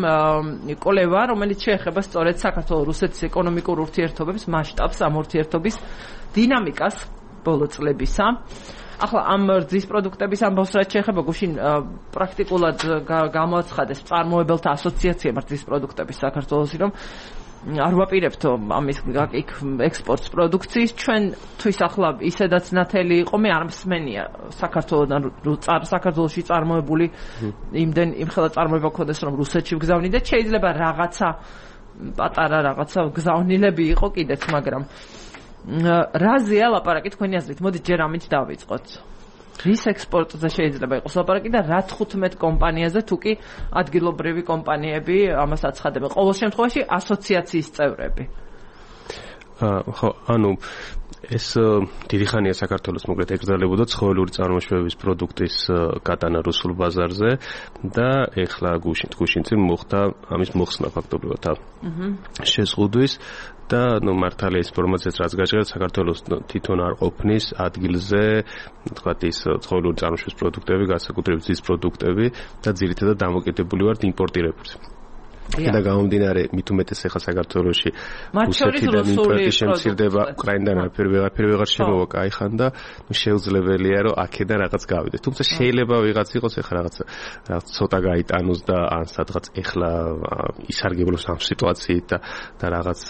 კვლევა, რომელიც შეეხება სწორედ საქართველოს-რუსეთის ეკონომიკურ ურთიერთობებს, მასშტაბს, ამ ურთიერთობის დინამიკას ბოლო წლებისა. ახლა ამ რძის პროდუქტების ამბავს რაც შეეხება გუშინ პრაქტიკულად გამოაცხადეს მწარმოებელთა ასოციაციამ რძის პროდუქტების საქართველოსი რომ არ ვაპირებთ ამის იქ ექსპორტს პროდუქციის ჩვენ თვის ახლა ისედაც ნათელი იყო მე არ მსმენია საქართველოსთან საქართველოში წარმოებული იმდენ იმხელა წარმოება ქონდეს რომ რუსეთში ვგზავნიდეთ შეიძლება რაღაცა პატარა რაღაცა გზავნილები იყო კიდეც მაგრამ რაზეა ლაპარაკი თქვენი აზრით? მოდით ჯერ ამით დავიწყოთ. რის ექსპორტზე შეიძლება იყოს ლაპარაკი და რა თხუთმეტ კომპანიაზე თუ კი ადგილობრივი კომპანიები ამას აცხადებენ. ყოველ შემთხვევაში ასოციაციის წევრები. ხო, ანუ ეს დიდი ხანია საქართველოს მოკლედ ეკრძალებოდა ცხოველური წარმოშობების პროდუქტის გატანა რუსულ ბაზარზე და ეხლა გუშინ გუშინ წინ მოხდა ამის მოხსნა ფაქტობრივად შეზღუდვის და ნუ მართალია ის ინფორმაციაც რაც გაჟღერდა საქართველოს თვითონ არ ყოფნის ადგილზე თქვათ ის ცხოველური წარმოშობის პროდუქტები, განსაკუთრებით ძის პროდუქტები და ძირითადად დამოკიდებული ვართ იმპორტირებულზე. და გამომდინარე მით უმეტეს ახლა საქართველოში რუსეთიდან იმპორტი შემცირდება უკრაინიდან არაფერი ვეღარ ვეღარ შემოვა кайხან და შეუძლებელია რომ აქედან რაღაც გავიდეს თუმცა შეიძლება ვიღაც იყოს ახლა რაღაც რაღაც ცოტა გაიტანოს და ან სადღაც ახლა ისარგებლოს ამ სიტუაციით და და რაღაც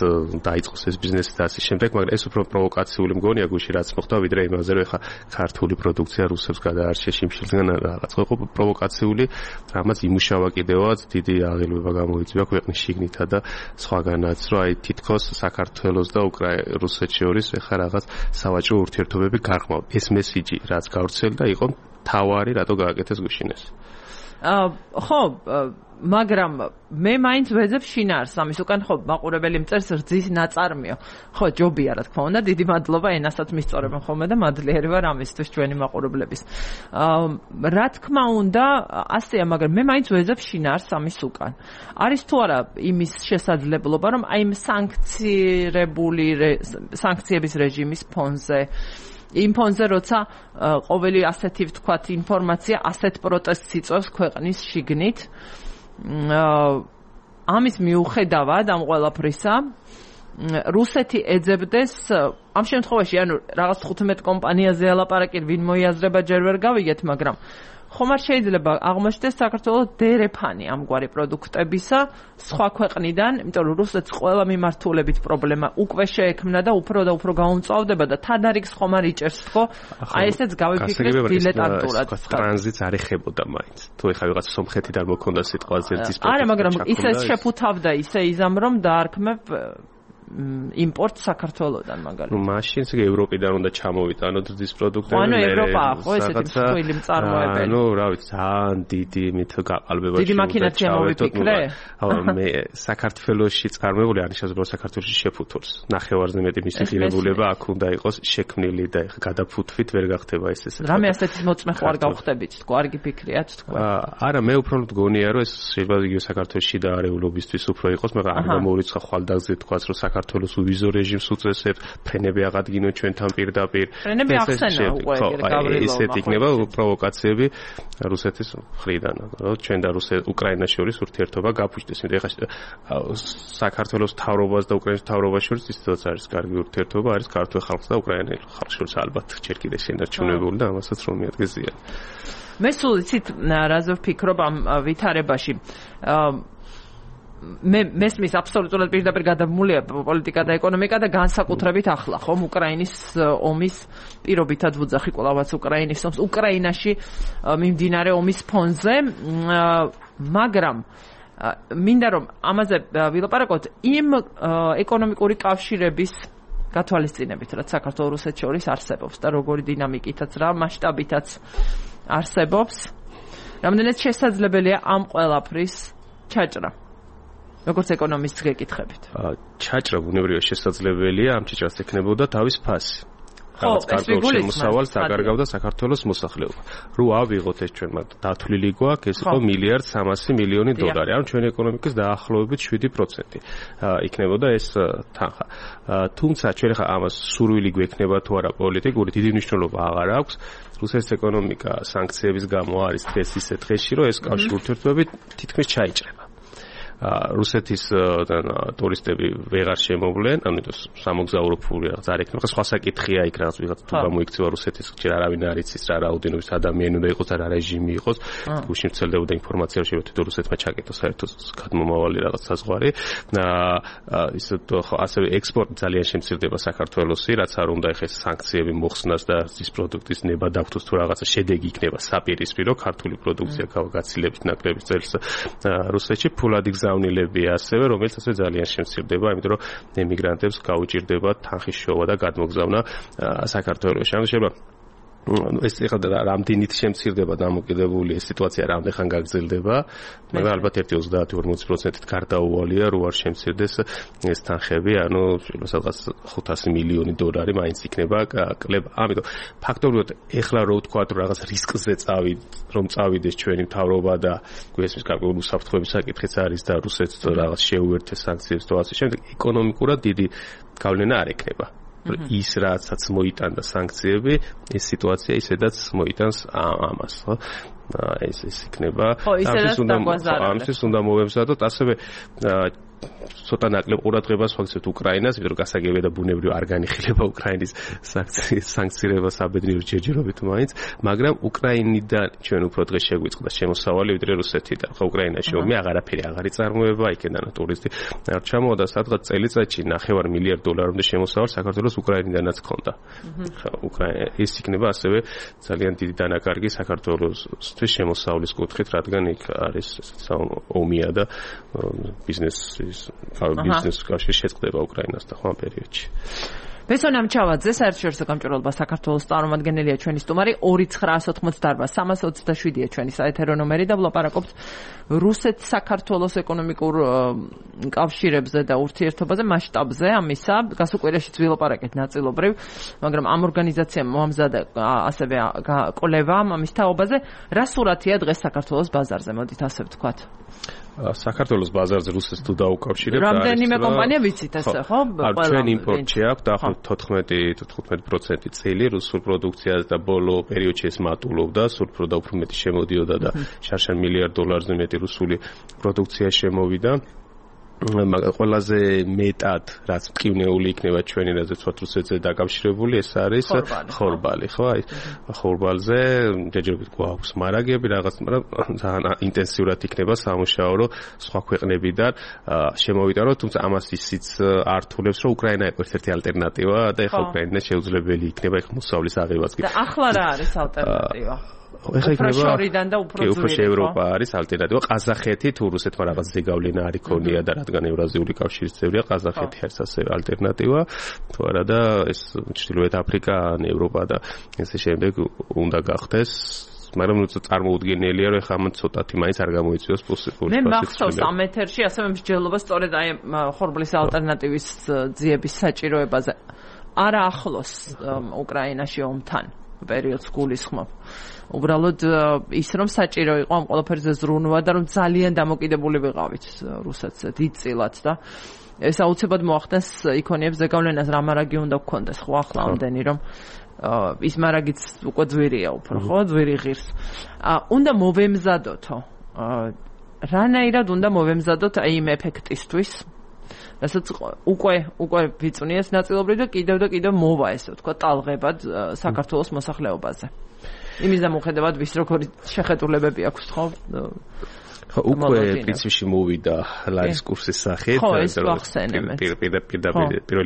დაიწყოს ეს ბიზნესი და ასე შემდეგ მაგრამ ეს უფრო პროვოკაციული მგონია გუში რაც მოხდა ვიდრე იმაზე რომ ახლა ქართული პროდუქცია რუსებს გადაარჩეს შიმშილიდან რაღაც ხო პროვოკაციული რამაც იმუშავა კიდევაც დიდი აღელვება გამო ძვია ქვეყნის შიგნითა და სხვაგანაც რომ აი თითქოს საქართველოს და რუსეთს შორის ეხა რაღაც სავაჭრო ურთიერთობები გარყმავდა ეს მესიჯი რაც გავრცელდა იყო თავარი რატო გააკეთეს გუშინეს ხო მაგრამ მე მაინც ვეძებ შინაარს ამის უკან ხო მაყურებელი მწერს რძის ნაწარმიო ხო ჯობია რა თქმა უნდა დიდი მადლობა ენასაც მისწორებენ ხოლმე და მადლიერი ვარ ამისთვის ჩვენი მაყურებლების რა თქმა უნდა ასეა მაგრამ მე მაინც ვეძებ შინაარს ამის უკან არის თუ არა იმის შესაძლებლობა რომ აი იმ სანქცირებული სანქციების რეჟიმის ფონზე იმ ფონზე როცა ყოველი ასეთი ვთქვათ ინფორმაცია ასეთ პროტესტს იწვევს ქვეყნის შიგნით ამის მიუხედავად ამ ყველაფრისა რუსეთი ეძებდეს ამ შემთხვევაში ანუ რაღაც თხუთმეტ კომპანიაზე ალაპარაკი ვინ მოიაზრება ჯერ ვერ გავიგეთ მაგრამ ხომ არ შეიძლება აღმოჩნდეს საქართველოს დერეფანი ამგვარი პროდუქტებისა სხვა ქვეყნიდან, იმიტომ რომ რუსეთს ყველა მიმართულებით პრობლემა უკვე შეექმნა და უფრო და უფრო გაუმწვავდება და თანარიგს ხომ არ იჭერს ხო? აი ესეც გავიფიქრეთ დილეტანტურად. ტრანზიტს არ ეხებოდა მაინც. თუ ეხა ვიღაც სომხეთიდან მოქონდა სიტყვაზე ძის პროდუქტი. არა, მაგრამ ისე შეფუთავდა ისე იზამ რომ დაარქმევ იმპორტ საქართველოსდან მაგალითად. ნუ მაშინ ისე ევროპიდან უნდა ჩამოვიტანოთ ძის პროდუქტები. ანუ ევროპა ხო ესეთი მსხვილი მწარმოებელი. ნუ რა ვიცი, ძალიან დიდი მით გაყალბება. დიდი მაქინაცია მოვიფიქრე. მე საქართველოში წარმოებული არის შესაძლოა საქართველოში შეფუთოს. ნახევარზე მეტი მისი ღირებულება აქ უნდა იყოს შექმნილი და გადაფუთვით ვერ გახდება ეს ესე. რამე ასეთის მოწმე ხო არ გავხდებით თქო, არ გიფიქრიათ თქო. არა, მე უფრო მგონია რომ ეს შეიძლება იგივე საქართველოში და არეულობისთვის უფრო იყოს, მაგრამ არ გამოვიწყა ხვალდაგზე თქვაც რომ საქართველოს უვიზო რეჟიმს უწესებს, ფრენები აღადგინო ჩვენთან პირდაპირ. ფრენები ახსენა უკვე გავრილოვმა. ისეთ იქნება პროვოკაციები რუსეთის მხრიდან, რომ ჩვენ და რუსეთ უკრაინას შორის ურთიერთობა გაფუჭდეს. იმიტომ ეხლა საქართველოს მთავრობას და უკრაინის მთავრობას შორის ისედაც არის კარგი ურთიერთობა, არის ქართულ ხალხს და უკრაინელ ხალხს შორის ალბათ ჯერ კიდევ შენარჩუნებული და ამასაც რომ მიადგეს ზიანი. მე სულ იცით რაზე ვფიქრობ ამ ვითარებაში. მე მესმის აბსოლუტურად პირდაპირ გადამულია პოლიტიკა და ეკონომიკა და განსაკუთრებით ახლა ხომ უკრაინის ომის პირობითად ვუძახი კვლავაც უკრაინის ომს უკრაინაში მიმდინარე ომის ფონზე მაგრამ მინდა რომ ამაზე ვილაპარაკოთ იმ ეკონომიკური კავშირების გათვალისწინებით, რაც საქართველოს რუსეთს შორის არსებობს და როგორი დინამიკითაც რა მასშტაბითაც არსებობს. რამდენად შესაძლებელია ამ ყველაფრის ჩაჭრა? როგორც ეკონომისტს გეკითხებით. ჩაჭრა ბუნებრივია შესაძლებელია, ამ ჩაჭრას ექნებოდა თავის ფასი. რაღაც კარგულ შემოსავალს აკარგავდა საქართველოს მოსახლეობა. რო ავიღოთ ეს ჩვენ მათ დათვლილი გვაქვს, ეს იყო მილიარდ სამასი მილიონი დოლარი. ანუ ჩვენი ეკონომიკის დაახლოებით შვიდი პროცენტი იქნებოდა ეს თანხა. თუმცა ჩვენ ხა ამას სურვილი გვექნება თუ არა პოლიტიკური დიდი მნიშვნელობა აღარ აქვს. რუსეთის ეკონომიკა სანქციების გამო არის დღეს ისე დღეში, რომ ეს კავშირი ურთიერთობები თითქმის ჩაიჭრება. რუსეთის ტურისტები ვეღარ შემოვლენ, ამიტომ სამოგზაურო ფული რაღაც არ ექნება. სხვა საკითხია იქ რაღაც ვიღაც თუ გამოიქცევა რუსეთის ჯერ არავინ არ იცის რა რაოდენობის ადამიანი უნდა იყოს და რა რეჟიმი იყოს. გუშინ ვრცელდებოდა ინფორმაცია რომ შეიძლება რუსეთმა ჩაკეტოს საერთოდ გადმომავალი რაღაც საზღვარი. ის ასევე ექსპორტი ძალიან შემცირდება საქართველოსი, რაც არ უნდა ეხეს სანქციები მოხსნას და ის პროდუქტის ნება დაგხვდოს თუ რაღაცა შედეგი იქნება საპირისპირო ქართული პროდუქცია გავგაცილებით ნაკლების წელს რუსეთში ფულადი გზავნილებია ასევე, რომელიც ასე ძალიან შემცირდება, იმიტომ რომ ემიგრანტებს გაუჭირდება თანხის შოვა და გადმოგზავნა საქართველოში. ანუ შეიძლება ეს ეხლა რამდენით შემცირდება დამოკიდებული ეს სიტუაცია რამდენ ხან გაგრძელდება, მაგრამ ალბათ ერთი ოცდაათი ორმოცი პროცენტით გარდაუვალია, რო არ შემცირდეს ეს თანხები, ანუ სადღაც ხუთასი მილიონი დოლარი მაინც იქნება კლება. ამიტომ ფაქტობრივად ეხლა რო ვთქვა რომ რაღაც რისკზე წავიდ, რომ წავიდეს ჩვენი მთავრობა და გვესმის გარკვეული უსაფრთხოების საკითხიც არის და რუსეთს რაღაც შეუერთეს სანქციებს და ასე შემდეგ, ეკონომიკურად დიდი გავლენა არ ექნება. ის რასაც მოიტანდა სანქციები, ეს სიტუაცია ისედაც მოიტანს ამას, ხო? ეს ეს იქნება. ამისთვის უნდა მოვემზადოთ ასევე ცოტა ნაკლებ ყურადღებას ვაქცევთ უკრაინას, იმიტომ რომ გასაგებია და ბუნებრივ არ განიხილება უკრაინის სანქცირება საბედნიერო ჯერჯერობით მაინც, მაგრამ უკრაინიდან ჩვენ უფრო დღეს შეგვიწყდა შემოსავალი ვიდრე რუსეთიდან. ხო, უკრაინაში ომი აღარაფერი აღარ იწარმოება, იქედან ტურისტი არ ჩამოვიდა, სადღაც წელიწადში ნახევარ მილიარდ დოლარამდე შემოსავალი საქართველოს უკრაინიდანაც ჰქონდა. ხო, უკრაინა ეს იქნება ასევე ძალიან დიდი დანაკარგი საქართველოსთვის შემოსავლის კუთხით, რადგან იქ არის ომია და ბიზნესი ბიზნეს კავშირი შეწყდება უკრაინასთან ხო ამ პერიოდში. ბესონამ ჩავაძე საერთაშორისო გამჭვირვალობა საქართველოს წარმომადგენელია ჩვენი სტუმარი ორი ცხრაასი ოცდაოთხი სამას ოცდაშვიდია ჩვენი საეთერო ნომერი და ვლაპარაკობთ რუსეთ-საქართველოს ეკონომიკურ კავშირებზე და ურთიერთობაზე მასშტაბზე ამისა. გასულ კვირაშიც ვილაპარაკეთ ნაწილობრივ, მაგრამ ამ ორგანიზაციამ მოამზადა ასევე კვლევა ამის თაობაზე. რა სურათია დღეს საქართველოს ბაზარზე, მოდით ასე ვთქვათ. საქართველოს ბაზარზე რუსეთს თუ დაუკავშირებთ, რამდენიმე კომპანია ვიცით ესე, ხო? ჩვენ იმპორტში აქვს დაახლოებით თოთხმეტი თხუთმეტი პროცენტი წელი რუსულ პროდუქციას და ბოლო პერიოდში ეს მატულობდა, სულ და უფრო მეტი შემოდიოდა და შარშან მილიარდ დოლარზე მეტი რუსული პროდუქცია შემოვიდა. ყველაზე მეტად რაც მტკივნეული იქნება ჩვენი რაზეც რუსეთზე დაკავშირებული ეს არის ხორბალი, ხო? აი ხორბალზე ჯერჯერობით გვაქვს მარაგები რაღაც, მაგრამ ძალიან ინტენსიურად იქნება სამუშაო, რომ სხვა ქვეყნებიდან შემოვიტანოთ, თუმცა ამას ისიც ართულებს, რომ უკრაინა იყო ერთ-ერთი ალტერნატივა და ეხლა უკრაინა შეუძლებელი იქნება ეხლა მოსავლის აღებაც. და ახლა რა არის ალტერნატივა? ეხლა იქნება შორიდან და უფრო ძვირი ევროპა არის ალტერნატივა. ყაზახეთი თუ რუსეთმა რაღაც ზეგავლენა არ იქონია და რადგან ევრაზიული კავშირის წევრია, ყაზახეთი არის ასევე ალტერნატივა. თუ არა და ეს ჩრდილოეთ აფრიკა, ევროპა და ესე შემდეგ უნდა გახდეს. მაგრამ ნუ წარმოუდგენელია რომ ეხლა ამ ცოტათი მაინც არ გამოიწვიოს პოსიბილური. მე მახსოვს ამ ეთერში ასევე მსჯელობა სწორედ აი ხორბლის ალტერნატივის ძიების საჭიროებაზე. არა ახლოს უკრაინაში ომთან პერიოდს გულისხმობ. უბრალოდ ის რომ საჭირო იყო ამ ყველაფერზე ზრუნვა და რომ ძალიან დამოკიდებული ვიყავით რუსეთზე დიდწილად და ეს აუცილებლად მოახდენს იქონიებს ზეგავლენას რა მარაგი უნდა გქონდეს ხო ახლა ამდენი რომ ის მარაგიც უკვე ძვირია უფრო ხო ძვირი ღირს. უნდა მოვემზადოთო რანაირად უნდა მოვემზადოთ აი იმ ეფექტისთვის რასაც უკვე უკვე ვიწვნიეს ნაწილობრივ და კიდევ და კიდევ მოვა ესე ვთქვა ტალღებად საქართველოს მოსახლეობაზე. იმის დამოუკიდებლად ვის როგორი შეხედულებები აქვს ხო? ხო უკვე პრინციპში მოვიდა ლარის კურსის სახით პირველ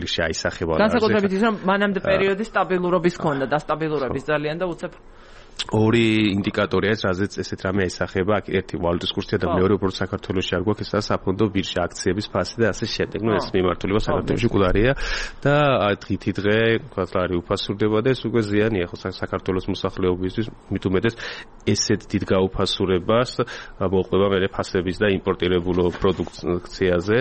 რიგში აისახება. განსაკუთრებით ის რომ მანამდე პერიოდი სტაბილურობის ქონდა და სტაბილურობის ძალიან და უცებ ორი ინდიკატორია ეს, რაზეც ესეთ რამე ესახება, ერთი ვალუტის კურსია და მეორე უბრალოდ საქართველოში არ გვაქვს ესაა საფონდო ბირჟა, აქციების ფასი და ასე შემდეგ. ნუ ეს მიმართულება საქართველოში კუდარია და დღითი დღე ვთქვათ ლარი უფასურდება და ეს უკვე ზიანია ხო საქართველოს მოსახლეობისთვის, მით უმეტეს ესეთ დიდ გაუფასურებას მოყვება მე ფასების და იმპორტირებულ პროდუქციაზე.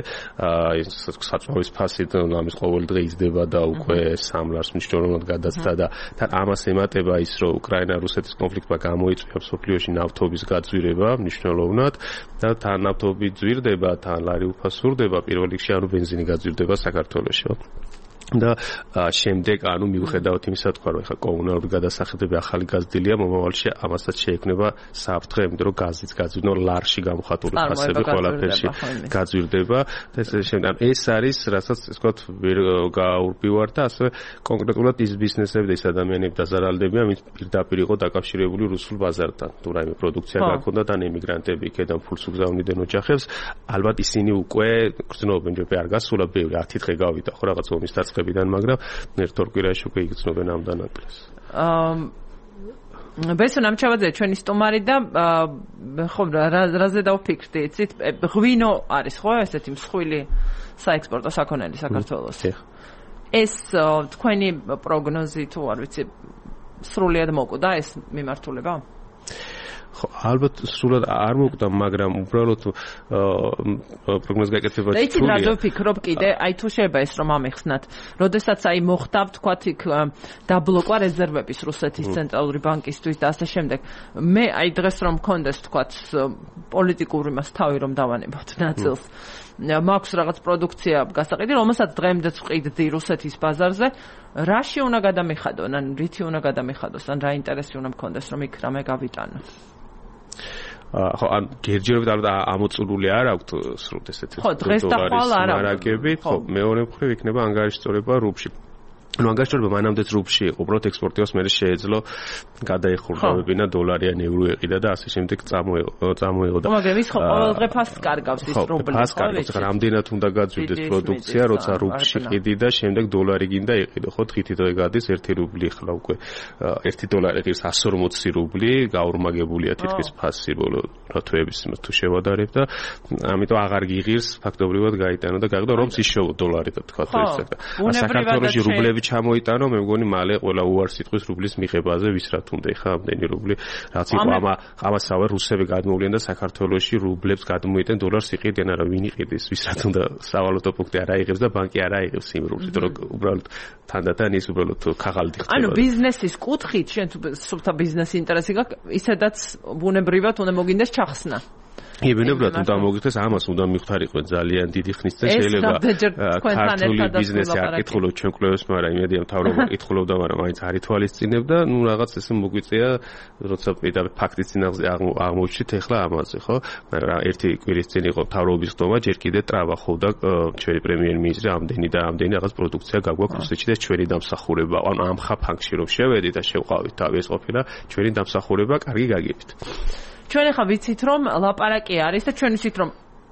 ეს საწვავის ფასი ამის ყოველ დღე იზრდება და უკვე სამ ლარს მნიშვნელოვნად გადაწყდა და თან ამას ემატება ის რომ უკრაინა რუსეთის კონფლიქტმა გამოიწვია მსოფლიოში ნავთობის გაძვირება მნიშვნელოვნად და თან ნავთობი ძვირდება, თან ლარი უფასურდება, პირველ რიგში ანუ ბენზინი გაძვირდება საქართველოში. და შემდეგ ანუ მიუხედავად იმისა თქვა რომ ეხა კომუნალური გადასახადები ახალი გაზრდილია მომავალში ამასაც შეექმნება საფრთხე იმიტომ რომ გაზიც გაძვირდება ლარში გამოხატული ფასები ყველაფერში გაძვირდება და ეს შემდეგ ეს არის რასაც ეს ვთქვათ ვერ გაურბივარ და ასე კონკრეტულად ის ბიზნესები და ის ადამიანები დაზარალდებიან ვინც პირდაპირ იყო დაკავშირებული რუსულ ბაზართან თუ რაიმე პროდუქცია გაქონდათ ან ემიგრანტები იქიდან ფულს უგზავნიდნენ ოჯახებს ალბათ ისინი უკვე გრძნობენ ჯერ არ გასულა ბევრი ათი დღე გავიდა ხო რაღაც ომის დაწყებიდან მაგრამ ერთ ორ კვირაში უკვე იგრძნობენ ამ დანაკლეს. აა ბესო ნამჩავაძე ჩვენი სტუმარი და ხო რაზე დავფიქრდი იცით ღვინო არის ხო ესეთი მსხვილი საექსპორტო საქონელი საქართველოს. ეს თქვენი პროგნოზი თუ არ ვიცი სრულად მოკვდა ეს მიმართულება? ხო ალბათ სრულად არ მოკვდა მაგრამ უბრალოდ პროგნოზი გაკეთება და იცით რა ვფიქრობ კიდე აი თუ შეიძლება ეს რომ ამეხსნათ როდესაც აი მოხდა ვთქვათ იქ დაბლოკვა რეზერვების რუსეთის ცენტრალური ბანკისთვის და ასე შემდეგ მე აი დღეს რომ მქონდეს ვთქვათ პოლიტიკური მას თავი რომ დავანებოთ ნაწილს მაქვს რაღაც პროდუქცია გასაყიდი რომელსაც დღემდე ვყიდდი რუსეთის ბაზარზე რაში უნდა გადამიხადონ ან რითი უნდა გადამიხადოს ან რა ინტერესი უნდა მქონდეს რომ იქ რამე გავიტანო ხო ან გერჯერობით ალბათ ამოწურული არ აქვთ სრულად ესეთი ხო დღეს და ხვალ არ აქვს ხო მეორე მხრივ იქნება ანგარიშწორება რუბლში ну ангажировка მანამდეც რუბლში იყო, უბრალოდ ექსპორტიოს მე შეეძლო გადაეხურებინა დოლარი ან ევრო ეყიდა და ასე შემდეგ წამოიღო წამოიღო და მაგრამ ის ხო ყოველ დღე ფასს კარგავს ის რუბლი ფასს კარგავს, ხა რამდენად უნდა გაძვირდეს პროდუქცია, როცა რუბლში ყიდი და შემდეგ დოლარი გინდა ეყიდო, ხო დღითი დღე გადის ერთი რუბლი ხლა უკვე ერთი დოლარი ღირს εκατს ორმოცი რუბლი გაურმაგებულია თითქმის ფასი ბოლო როთვეების თუ შევადარებ და ამიტომ აღარ გიღირს ფაქტობრივად გაიტანო და გაიგო რომც ისშოვო დოლარი და თქვა თუ ისე და საქართველოში რუბლები ჩამოიტანო მე მგონი მალე ყველა უარს იტყვის რუბლის მიღებაზე ვის რა თუნდა ხა ამდენი რუბლი რაც იყო ამა ამასავე რუსები გადმოვლენ და საქართველოში რუბლებს გადმოიტენ დოლარს იყიდენ არა ვინ იყიდეს ვის რა თუნდა სავალუტო პუნქტი არ აიღებს და ბანკი არ აიღებს იმ რუბლს იმიტომ რომ უბრალოდ თანდათან ის უბრალოდ ქაღალდი ხდება ანუ ბიზნესის კუთხით შენ თუ სუფთა ბიზნესი ინტერესი გაქვს ისედაც ბუნებრივად უნდა მოგინდეს ჩახსნა ებენებრად უნდა მოგიხდეს ამას უნდა მიხთარიყვენ ძალიან დიდი ხნის წინ შეიძლება ქართული ბიზნესი არ კითხულობ ჩვენ კვლევებს მაგრამ იმედია მთავრობა კითხულობდა მაგრამ მაინც არ ითვალისწინებდა ნუ რაღაც ესე მოგვიწია როცა პირდაპირ ფაქტის წინაღზე აღმოჩნდით ეხლა ამაზე ხო მაგრამ ერთი კვირის წინ იყო მთავრობის ხდომა ჯერ კიდე ტრავახობდა ჩვენი პრემიერ-მინისტრი ამდენი და ამდენი რაღაც პროდუქცია გაგვაქვს რუსეთში და ჩვენი დამსახურება ანუ ამ ხაფანგში რომ შევედით და შევყავით თავი ეს ყოფილა ჩვენი დამსახურება კარგი გაგებით ჩვენ ახლა ვიცით რომ ლაპარაკი არის და ჩვენ ვიცით რომ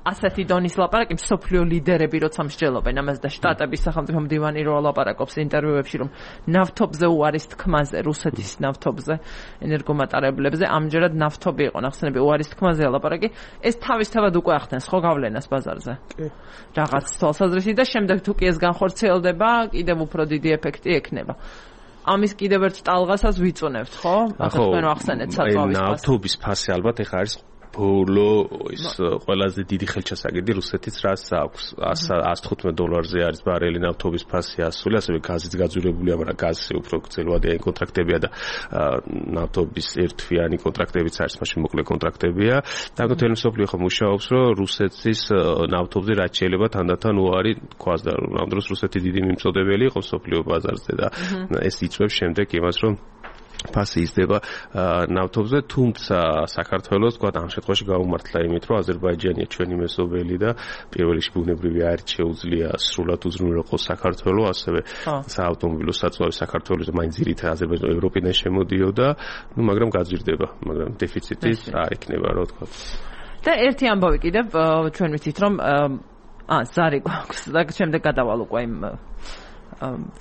ასეთი დონის ლაპარაკი მსოფლიო ლიდერები როცა მსჯელობენ ამას და შტატების სახელმწიფო მდივანი რო ლაპარაკობს ინტერვიუებში რომ ნავთობზე უარის თქმაზე რუსეთის ნავთობზე ენერგომატარებლებზე ამჯერად ნავთობი იყო ნახსენები უარის თქმაზე ლაპარაკი ეს თავისთავად უკვე ახდენს ხო გავლენას ბაზარზე რაღაც თვალსაზრისით და შემდეგ თუ კი ეს განხორციელდება კიდევ უფრო დიდი ეფექტი ექნება ამის კიდევ ერთ ტალღასაც ვიწუნებთ, ხო? ახლა თქვენ ახსენეთ საწვავის ფასი. ნავთობის ფასი ალბათ ეხა არის ბოლო ის ყველაზე დიდი ხელჩასაგები რუსეთის რაც აქვს εκατს თხუთმეტ დოლარზე არის ბარელი ნავთობის ფასი ასული, ასევე გაზიც გაძვირებულია, მაგრამ გაზი უფრო გრძელვადიანი კონტრაქტებია და ნავთობის ერთთვიანი კონტრაქტებიც არის, მაშინ მოკლე კონტრაქტებია. და თვითონ მსოფლიო ხო მუშაობს, რომ რუსეთის ნავთობზე რაც შეიძლება თანდათან უარი თქვას და ამ დროს რუსეთი დიდი მიმწოდებელი იყო მსოფლიო ბაზარზე და ეს იწვევს შემდეგ იმას, რომ ფასი იზრდება ნავთობზე, თუმცა საქართველოს თქვა ამ შემთხვევაში გაუმართლა იმით, რომ აზერბაიჯანია ჩვენი მეზობელი და პირველ რიგში ბუნებრივი არით შეუძლია სრულად უზრუნველყოს საქართველოს, ასევე საავტომობილო საწვავი საქართველოს მაინც ძირითადად აზერბაიჯანი ევროპიდან შემოდიოდა, ну, მაგრამ გაძვირდება, მაგრამ დეფიციტი არ იქნება, რა თქვა. და ერთი ამბავი კიდევ ჩვენ ვიცით, რომ აა ზარი გვაქვს და შემდეგ გადავალ უკვე იმ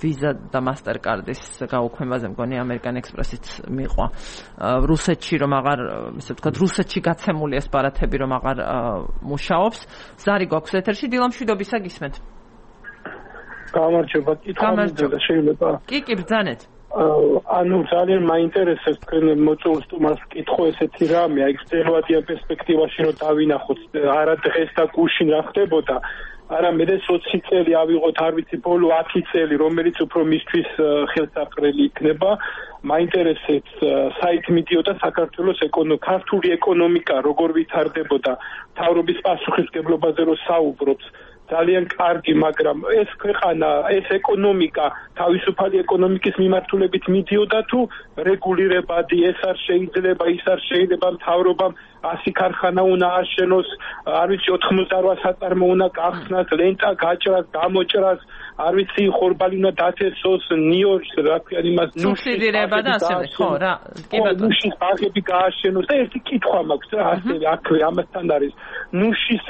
ვიზა და მასტერკარდის გაუქმებაზე მგონი ამერიკან ექსპრესით მიყვა რუსეთში რომ აღარ ისე ვთქვათ რუსეთში გაცემული ეს ბარათები რომ აღარ მუშაობს ზარი გვაქვს ეთერში დილა მშვიდობისა გისმენთ გამარჯობა კითხვა მინდა შეიძლება კი კი ბრძანეთ ანუ ძალიან მაინტერესებს თქვენ მოწვეულ სტუმარს კითხო ესეთი რამე აი წელვადიან პერსპექტივაში რომ დავინახოთ არა დღეს და გუშინ რა ხდებოდა არამედ ოცი წელი ავიღოთ არ ვიცი ბოლო ათი წელი რომელიც უფრო მისთვის ხელსაყრელი იქნება მაინტერესებს საით მიდიოდა საქართველოს ქართული ეკონომიკა როგორ ვითარდებოდა მთავრობის პასუხისმგებლობაზე რომ საუბრობს ძალიან კარგი მაგრამ ეს ქვეყანა ეს ეკონომიკა თავისუფალი ეკონომიკის მიმართულებით მიდიოდა თუ რეგულირებადი ეს არ შეიძლება ის არ შეიძლება მთავრობამ ასი ქარხანა უნდა აშენოს არ ვიცი ოთხმოცდაოთხ საწარმო უნდა გახსნას ლენტა გაჭრას გამოჭრას არ ვიცი ხორბალი უნდა დათესოს ნიორს რა ქვია იმას სუბსიდირება და ასევე ხო რა კი ბატონო ნუშის ბაღები გააშენოს და ერთი კითხვა მაქვს რა ასევე აქვე ამასთან არის ნუშის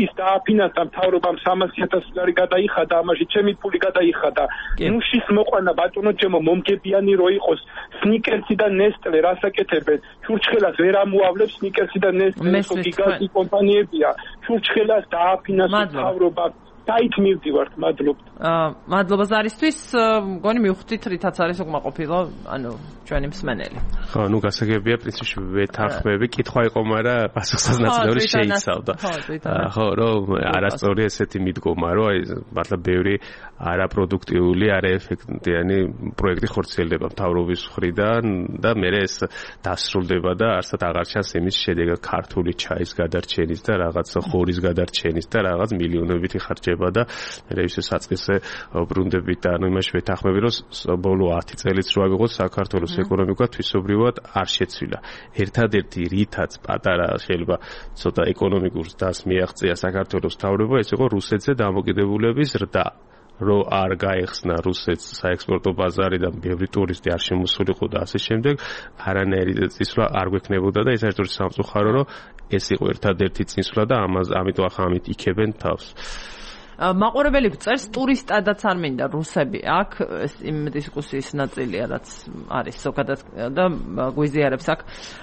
ის დააფინანსა მთავრობამ სამასი ათასი დოლარი გადაიხადა ამაში ჩემი ფული გადაიხადა ნუშის მოყვანა ბატონო ჩემო მომგებიანი რო იყოს სნიკერსი და ნესტლე რასაკეთებენ ჩურჩხელას ვერ ამოავლებს სნიკერსი და ნესტლე გიგანტი კომპანიებია ჩურჩხელას დააფინანსა მთავრობა საით მივდივართ მადლობთ აა მადლობა ზარისთვის მგონი მივხვდით რითაც არის უკმაყოფილო ანუ ჩვენი მსმენელი ხო ნუ გასაგებია პრინციპში ვეთანხმები კითხვა იყო მაგრამ პასუხსაზნაძლიური შეიცავდა ხო რომ არასწორი ესეთი მიდგომა რომ აი მართლა ბევრი არაპროდუქტიული არაეფექტიანი პროექტი ხორციელდება მთავრობის მხრიდან და მე ეს დასრულდება და არსად აღარ ჩანს იმის შედეგად ქართული ჩაის გადარჩენის და რაღაც ხორის გადარჩენის და რაღაც მილიონებითი ხარჯება და მე ისე საწყისე ბრუნდებით და ანუ იმაში ვეთანხმები რომ ბოლო ათი წელიც რო ავიღოთ საქართველოს ეკონომიკა თვისობრივად არ შეცვლილა ერთადერთი რითაც პატარა შეიძლება ცოტა ეკონომიკურ ზრდას მიაღწია საქართველოს მთავრობა ეს იყო რუსეთზე დამოკიდებულების ზრდა რომ არ გაეხსნა რუსეთს საექსპორტო ბაზარიდან ბევრი ტურისტი არ შემოსულიყო და ასე შემდეგ არანაირი წინსვლა არ გვექნებოდა და ეს ერთ-ერთი სამწუხარო რომ ეს იყო ერთადერთი წინსვლა და ამას ამიტომ ახლა ამით იქებენ თავს მაყურებელი წერს ტურისტადაც არ მინდა რუსები აქ ეს იმ დისკუსიის ნაწილია რაც არის ზოგადად და გვიზიარებს აქ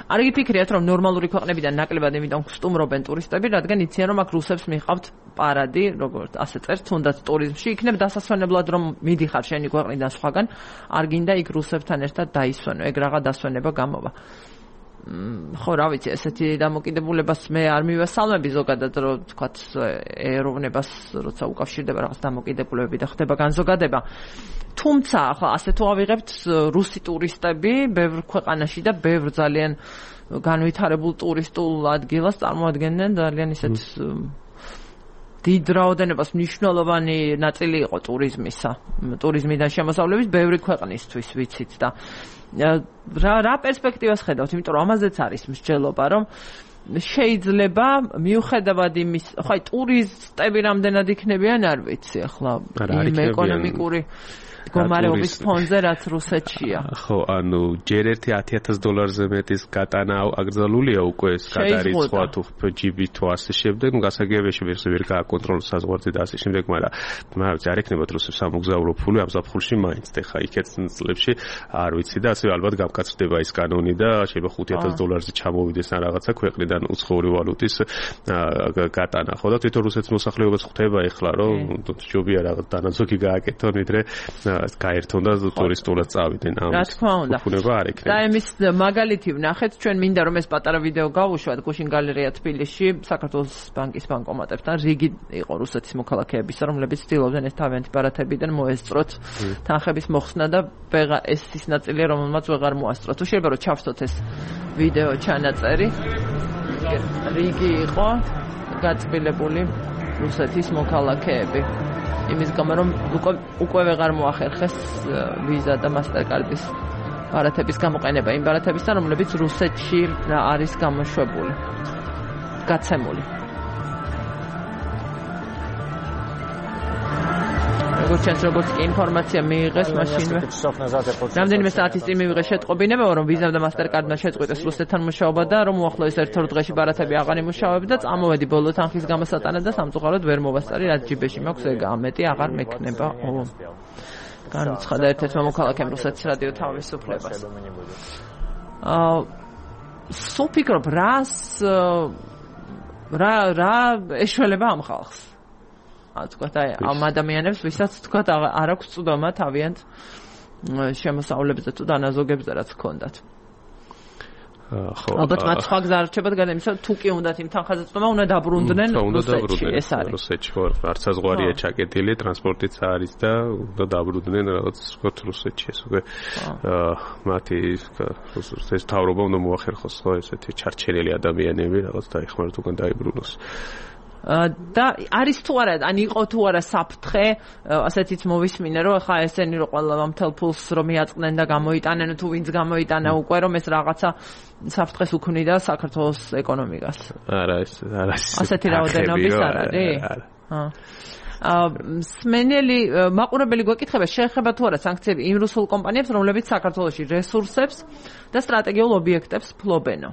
არ გიფიქრიათ რომ ნორმალური ქვეყნებიდან ნაკლებად იმიდან გსტუმრობენ ტურისტები რადგან იციან რომ აქ რუსებს მიყავთ პარადი როგორც ასე წერს თუნდაც ტურიზმში იქნებ დასასვენებლად რომ მიდიხარ შენი ქვეყნიდან სხვაგან არ გინდა იქ რუსებთან ერთად დაისვენო ეგ რაღა დასვენება გამოვა ხო რა ვიცი ესეთი დამოკიდებულებას მე არ მივესალმები ზოგადად რომ თქვათ ეროვნებას როცა უკავშირდება რაღაც დამოკიდებულებები და ხდება განზოგადება თუმცა ახლა ასე თუ ავიღებთ რუსი ტურისტები ბევრ ქვეყანაში და ბევრ ძალიან განვითარებულ ტურისტულ ადგილას წარმოადგენენ ძალიან ისეთ დიდ რაოდენობას მნიშვნელოვანი ნაწილი იყო ტურიზმისა ტურიზმიდან შემოსავლების ბევრი ქვეყნისთვის ვიცით და რა რა პერსპექტივას ხედავთ იმიტომ რომ ამაზეც არის მსჯელობა რომ შეიძლება მიუხედავად იმის ხო აი ტურისტები რამდენად იქნებიან არ ვიცი ახლა იმ ეკონომიკური მდგომარეობის ფონზე რაც რუსეთშია ხო ანუ ჯერ ერთი ათი ათას დოლარზე მეტის გატანა აკრძალულია უკვე ეს გადარიცხვა თუ ჯიბი თუ ასე შემდეგ ნუ გასაგებია შეიძლება ვერ გააკონტროლოს საზღვარზე და ასე შემდეგ მაგრამ მაგრამ არ ეკნებათ რუსებს სამოგზაურო ფული ამ ზაფხულში მაინც ხა იქეთ წლებში არ ვიცი და ასე ალბათ გამკაცრდება ეს კანონი და შეიძლება ხუთი ათას დოლარზე ჩამოვიდეს ან რაღაცა ქვეყნიდან უცხოური ვალუტის გატანა ხო და თვითონ რუსეთის მოსახლეობაც ხვდება ეხლა რომ ჯობია რაღაც დანაზოგი გააკეთონ ვიდრე გაერთონ და ტურისტულად წავიდნენ ამ უფლება არ ექნება. და იმის მაგალითი ვნახეთ, ჩვენ მინდა რომ ეს პატარა ვიდეო გავუშვათ გუშინ გალერეა თბილისში, საქართველოს ბანკის ბანკომატებთან რიგი იყო რუსეთის მოქალაქეებისა, რომლებიც ცდილობდნენ ეს თავიანთი ბარათებიდან მოესწროთ თანხების მოხსნა და ვეღარ ეს ის ნაწილია, რომელმაც ვეღარ მოასწრო. თუ შეიძლება რომ ჩავსოთ ეს ვიდეო ჩანაწერი. რიგი იყო გაწბილებული რუსეთის მოქალაქეები. იმის გამო რომ უკვე ვეღარ მოახერხეს ვიზა და მასტერკარდის ბარათების გამოყენება იმ ბარათებისგან რომლებიც რუსეთში არის გამოშვებული გაცემული მოგურჩენს როგორც კი ინფორმაცია მიიღეს მაშინვე. რამდენიმე საათის წინ მივიღეს შეტყობინება, რომ ვიზამ და მასტერკარდმა შეწყვიტეს რუსეთთან მუშაობა და რომ უახლოეს ერთ-ორ დღეში ბარათები აღარ იმუშავებდა, წამოვედი ბოლო თანხის გამოსატანად და სამწუხაროდ ვერ მოვასწარი, რაც ჯიბეში მაქვს, ეგ ამეტი აღარ მექნება. ო. განუცხადა ერთ-ერთმა მოქალაქემ რუსეთის რადიო თავისუფლებას. აა სულ ფიქრობ, რას რა რა ეშველება ამ ხალხს? ასე თქვა, აი ამ ადამიანებს, ვისაც თქვა არ აქვს წვდომა თავიანთ შემოსავლებზე თუ დანაზოგებზე რაც ჰქონდათ. ხო. ალბათ მათ სხვა გზა რჩებათ გადამისა, თუ კი უნდათ იმ თანხაზეწდომა, უნდა დაბრუნდნენ რუსეთში, ეს არის. რუსეთში ხო, არც საზღვარია ჩაკეტილი, ტრანსპორტიც არის და უნდა დაბრუნდნენ რაღაც ვთქვათ რუსეთში, ეს უკვე მათი ეს თავრობა უნდა მოახერხოს ხო ესეთი ჩარჩენილი ადამიანები, რაღაც დაიხმაროთ უკან დაიბრუნოს. და არის თუ არა, ან იყო თუ არა საფრთხე, ასეთიც მოვისმინე, რომ ხა ესენი რომ ყველა მთელ ფულს რომ მიაწყდნენ და გამოიტანენ, თუ ვინც გამოიტანა უკვე, რომ ეს რაღაცა საფრთხეს უქმნიდა საქართველოს ეკონომიკას. არა, ეს არა. ასეთი რაოდენობის არ არის? აა სმენელი მაყურებელი გვეკითხება, შეეხება თუ არა სანქციები იმ რუსულ კომპანიებს, რომლებიც საქართველოში რესურსებს და სტრატეგიულ ობიექტებს ფლობენო.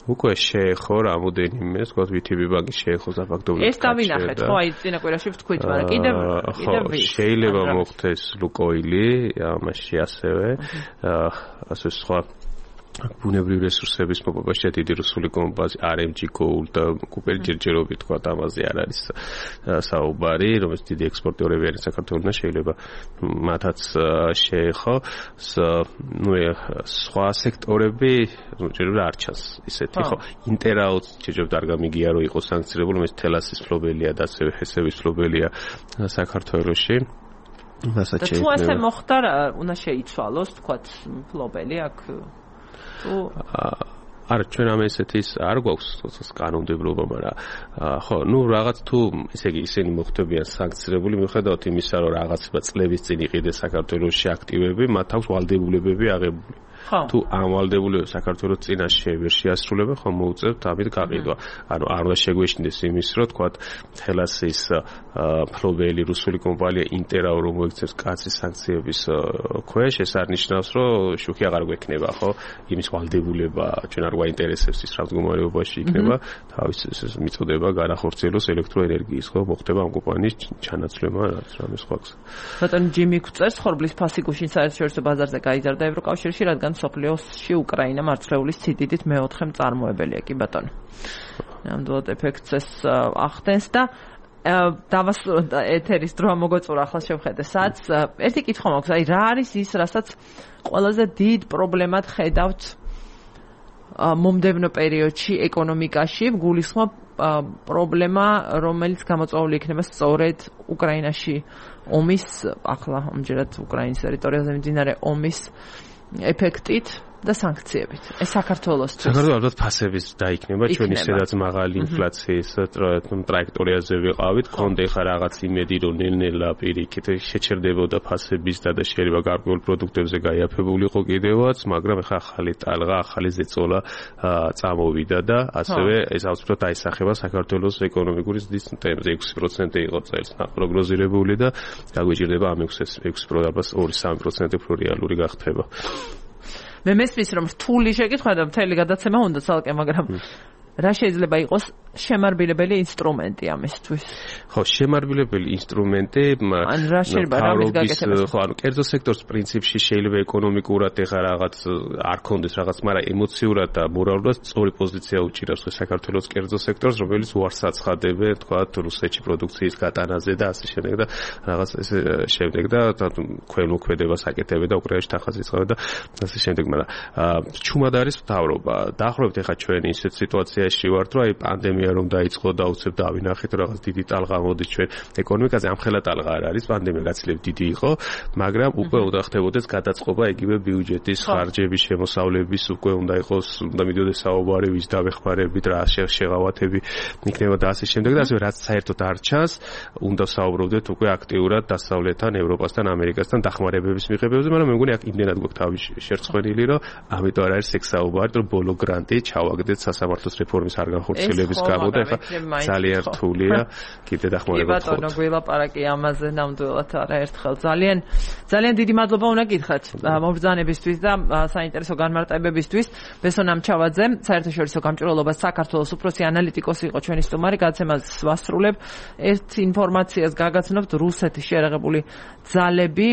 უკვე შეეხო რამოდენიმე, ვთქვათ, ვი თი ბი ბანკი შეეხო საფაქტობრივად. ეს დავინახეთ, ხო, აი წინა კვირაში ვთქვით, მაგრამ კიდევ კიდევ შეიძლება მოხდეს ლუკოილი, ამაში ასევე, ასე სხვა ბუნებრივი რესურსების მოპოვებაში დიდი რუსული კომპანია არ ემ ჯი Gold და კუპერი ჯერჯერობით თქვა ამაზე არ არის საუბარი, რომელიც დიდი ექსპორტიორები არის საქართველოსთან, შეიძლება მათაც შეეხო, ნუ სხვა სექტორები ჯერჯერობით არ ჩანს ისეთი, ხო, ინტერაუტ ჯერჯერობით არ გამიგია რომ იყოს სანქცირებული, რომელიც თელასის ფლობელია და ასევე ჰესების ფლობელია საქართველოში. და თუ ასე მოხდა, უნდა შეიცვალოს, თქვათ, ფლობელი აქ თუ არ ჩვენ ამ ესეთის არ გვაქვს თორსას კანონმდებლობა, მაგრამ ხო, ნუ რაღაც თუ ესე იგი ისინი მოხდებიან სანქცირებული, მიუხედავად იმისა, რომ რაღაცა წლების წინ იყიდეს საქართველოში აქტივები, მათ აქვს ვალდებულებები აღებული. თუ ამ ვალდებულებებს საქართველოს წინაშე ვერ შეასრულება, ხომ მოუწევთ ამით გაყიდვა. ანუ არ უნდა შეგვეშინდეს იმის, რომ თქვათ თელასის ფლობელი რუსული კომპანია ინტერაუ რომ მოიქცევს კაცის სანქციების ქვეშ, ეს არ ნიშნავს, რომ შუქი აღარ გვექნება, ხო? იმის ვალდებულება ჩვენ არ გვაინტერესებს ის რა მდგომარეობაში იქნება, თავის მიწოდება განახორციელოს ელექტროენერგიის, ხო? მოხდება ამ კომპანიის ჩანაცვლება, რაც რამე სხვა გზა. ბატონ ჯიმი გვწერს, ხორბლის ფასი გუშინ საერთაშორისო ბაზარზე გაიზარდა ევროკავშირში, რადგან სოფლიოში უკრაინა მარცვლეულის ციდიდით მეოთხე მწარმოებელია, კი ბატონო. ნამდვილად ეფექტს ეს ახდენს და დავასრულოთ ეთერის დრო მოგოწურა ახლა შევხედე საც. ერთი კითხვა მაქვს, აი რა არის ის, რასაც ყველაზე დიდ პრობლემად ხედავთ მომდევნო პერიოდში ეკონომიკაში, გულისხმობ პრობლემა, რომელიც გამოწვეული იქნება სწორედ უკრაინაში ომის, ახლა ამჯერად უკრაინის ტერიტორიაზე მიმდინარე ომის ეფექტით და სანქციებით. ეს საქართველოსთვის. საქართველოს ალბათ ფასების დაიქნება, ჩვენ ისედაც მაღალი ინფლაციის ტრაექტორიაზე ვიყავით, კონდე ხა რაღაც იმედი რომ ნელ-ნელა პირიქით შეჩერდებოდა ფასების და და შეიძლება გარკვეულ პროდუქტებზე გაიაფებულიყო კიდევაც, მაგრამ ხა ახალი ტალღა, ახალი ზეწოლა წამოვიდა და ასევე ეს აუცილებლად აისახება საქართველოს ეკონომიკური ზრდის ტემპზე. ექვსი პროცენტი იყო წელს პროგნოზირებული და გაგვიჭირდება ამ ექვსი პროცენტს ორი სამი პროცენტი უფრო რეალური გახდება. მე მესმის რომ რთული შეკითხვა და მთელი გადაცემა უნდა ცალკე, მაგრამ რა შეიძლება იყოს შემარბილებელი ინსტრუმენტი ამისთვის? ხო, შემარბილებელი ინსტრუმენტი ან რა შეიძლება რამის გაკეთება? ხო, ანუ კერძო სექტორის პრინციპში შეიძლება ეკონომიკურად ეხა რაღაც არ კონდეს რაღაც, მაგრამ ემოციურად და მორალურად სწორი პოზიცია უჭირავს საქართველოს კერძო სექტორს, რომელიც უარს აცხადებენ, თქვა რუსეთში პროდუქციის გატანაზე და ასე შემდეგ და რაღაც ესე შემდეგ და ქვემოქმედებას აკეთებენ და უკრაინაში თანხას იწყებენ და ასე შემდეგ, მაგრამ ჩუმად არის მთავრობა. დაახლოებით ეხა ჩვენ ისეთ სიტუაციაში ვართ, რომ აი პანდემია რომ დაიწყო და უცებ დავინახეთ რაღაც დიდი ტალღა მოდის ჩვენ ეკონომიკაზე, ამხელა ტალღა არ არის, პანდემია გაცილებით დიდი იყო, მაგრამ უკვე უნდა ხდებოდეს გადაწყობა იგივე ბიუჯეტის ხარჯების შემოსავლების, უკვე უნდა იყოს, უნდა მიდიოდეს საუბარი ვის დავეხმარებით, რა შეღავათები იქნება და ასე შემდეგ და ასე რაც საერთოდ არ ჩანს, უნდა საუბრობდეთ უკვე აქტიურად დასავლეთთან, ევროპასთან, ამერიკასთან დახმარებების მიღებებზე, მაგრამ მე მგონი აქ იმდენად გვაქვს თავი შერცხვენილი, რომ ამიტომ არ არის ეგ საუბარი, რომ ბოლო გრანტი ჩავაგდეთ სასამართლოს რეფორმის პლატფორმის არ განხორციელების გამო და ეხლა ძალიან რთულია კიდე დახმარება გქონდეს. კი ბატონო, გვილაპარაკი ამაზე ნამდვილად არა ერთხელ. ძალიან ძალიან დიდი მადლობა უნდა გითხრათ მობრძანებისთვის და საინტერესო განმარტებებისთვის. ბესონ ამჩავაძე, საერთაშორისო გამჭვირვალობას საქართველოს უფროსი ანალიტიკოსი იყო ჩვენი სტუმარი. გადაცემას ვასრულებ. ერთ ინფორმაციას გაგაცნობთ, რუსეთის შეერაღებული ძალები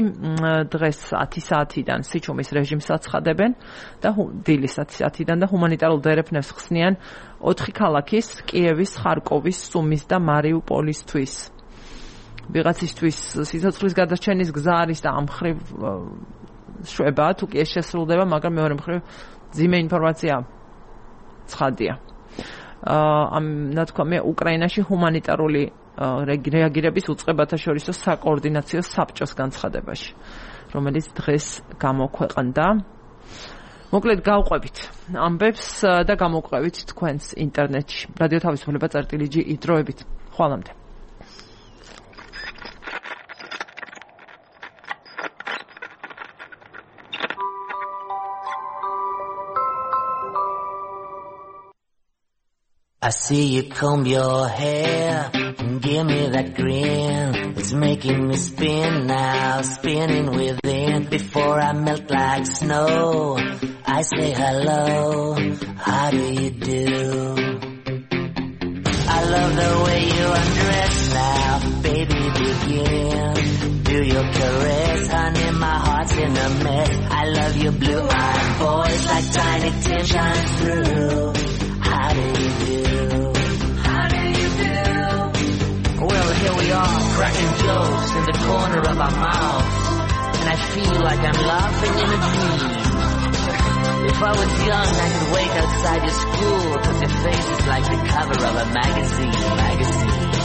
დღეს ათი საათიდან სიჩუმის რეჟიმს აცხადებენ და დილის ათი საათიდან და ჰუმანიტარულ დერეფნებს ხსნიან ოთხი ქალაქის, კიევის, ხარკოვის, სუმის და მარიუპოლისთვის. ვიღაცისთვის სიცოცხლის გადარჩენის გზა არის და ამ მხრივ შვება, თუ კი ეს შესრულდება, მაგრამ მეორე მხრივ ძიმე ინფორმაცია ცხადია. ამ ნათქვამია უკრაინაში ჰუმანიტარული რეაგირების უწყებათა შორისო საკოორდინაციო საბჭოს განცხადებაში, რომელიც დღეს გამოქვეყნდა. მოკლედ გავყვებით ამბებს და გამოვყვებით თქვენს ინტერნეტში. რადიო თავისუფლება წერტილი ჯი იდროებით. ხვალამდე. I see you comb your hair and give me that grin. It's making me spin now, spinning within. Before I melt like snow, I say hello, how do you do? I love the way you undress now, baby begin. Do your caress, honey, my heart's in a mess. I love your blue-eyed voice like Tiny Tim shines through. How do you do? Well, here we are, cracking jokes in the corner of our mouths, and I feel like I'm laughing in a dream. If I was young, I could wait outside your school, 'cause your face is like the cover of a magazine, magazine.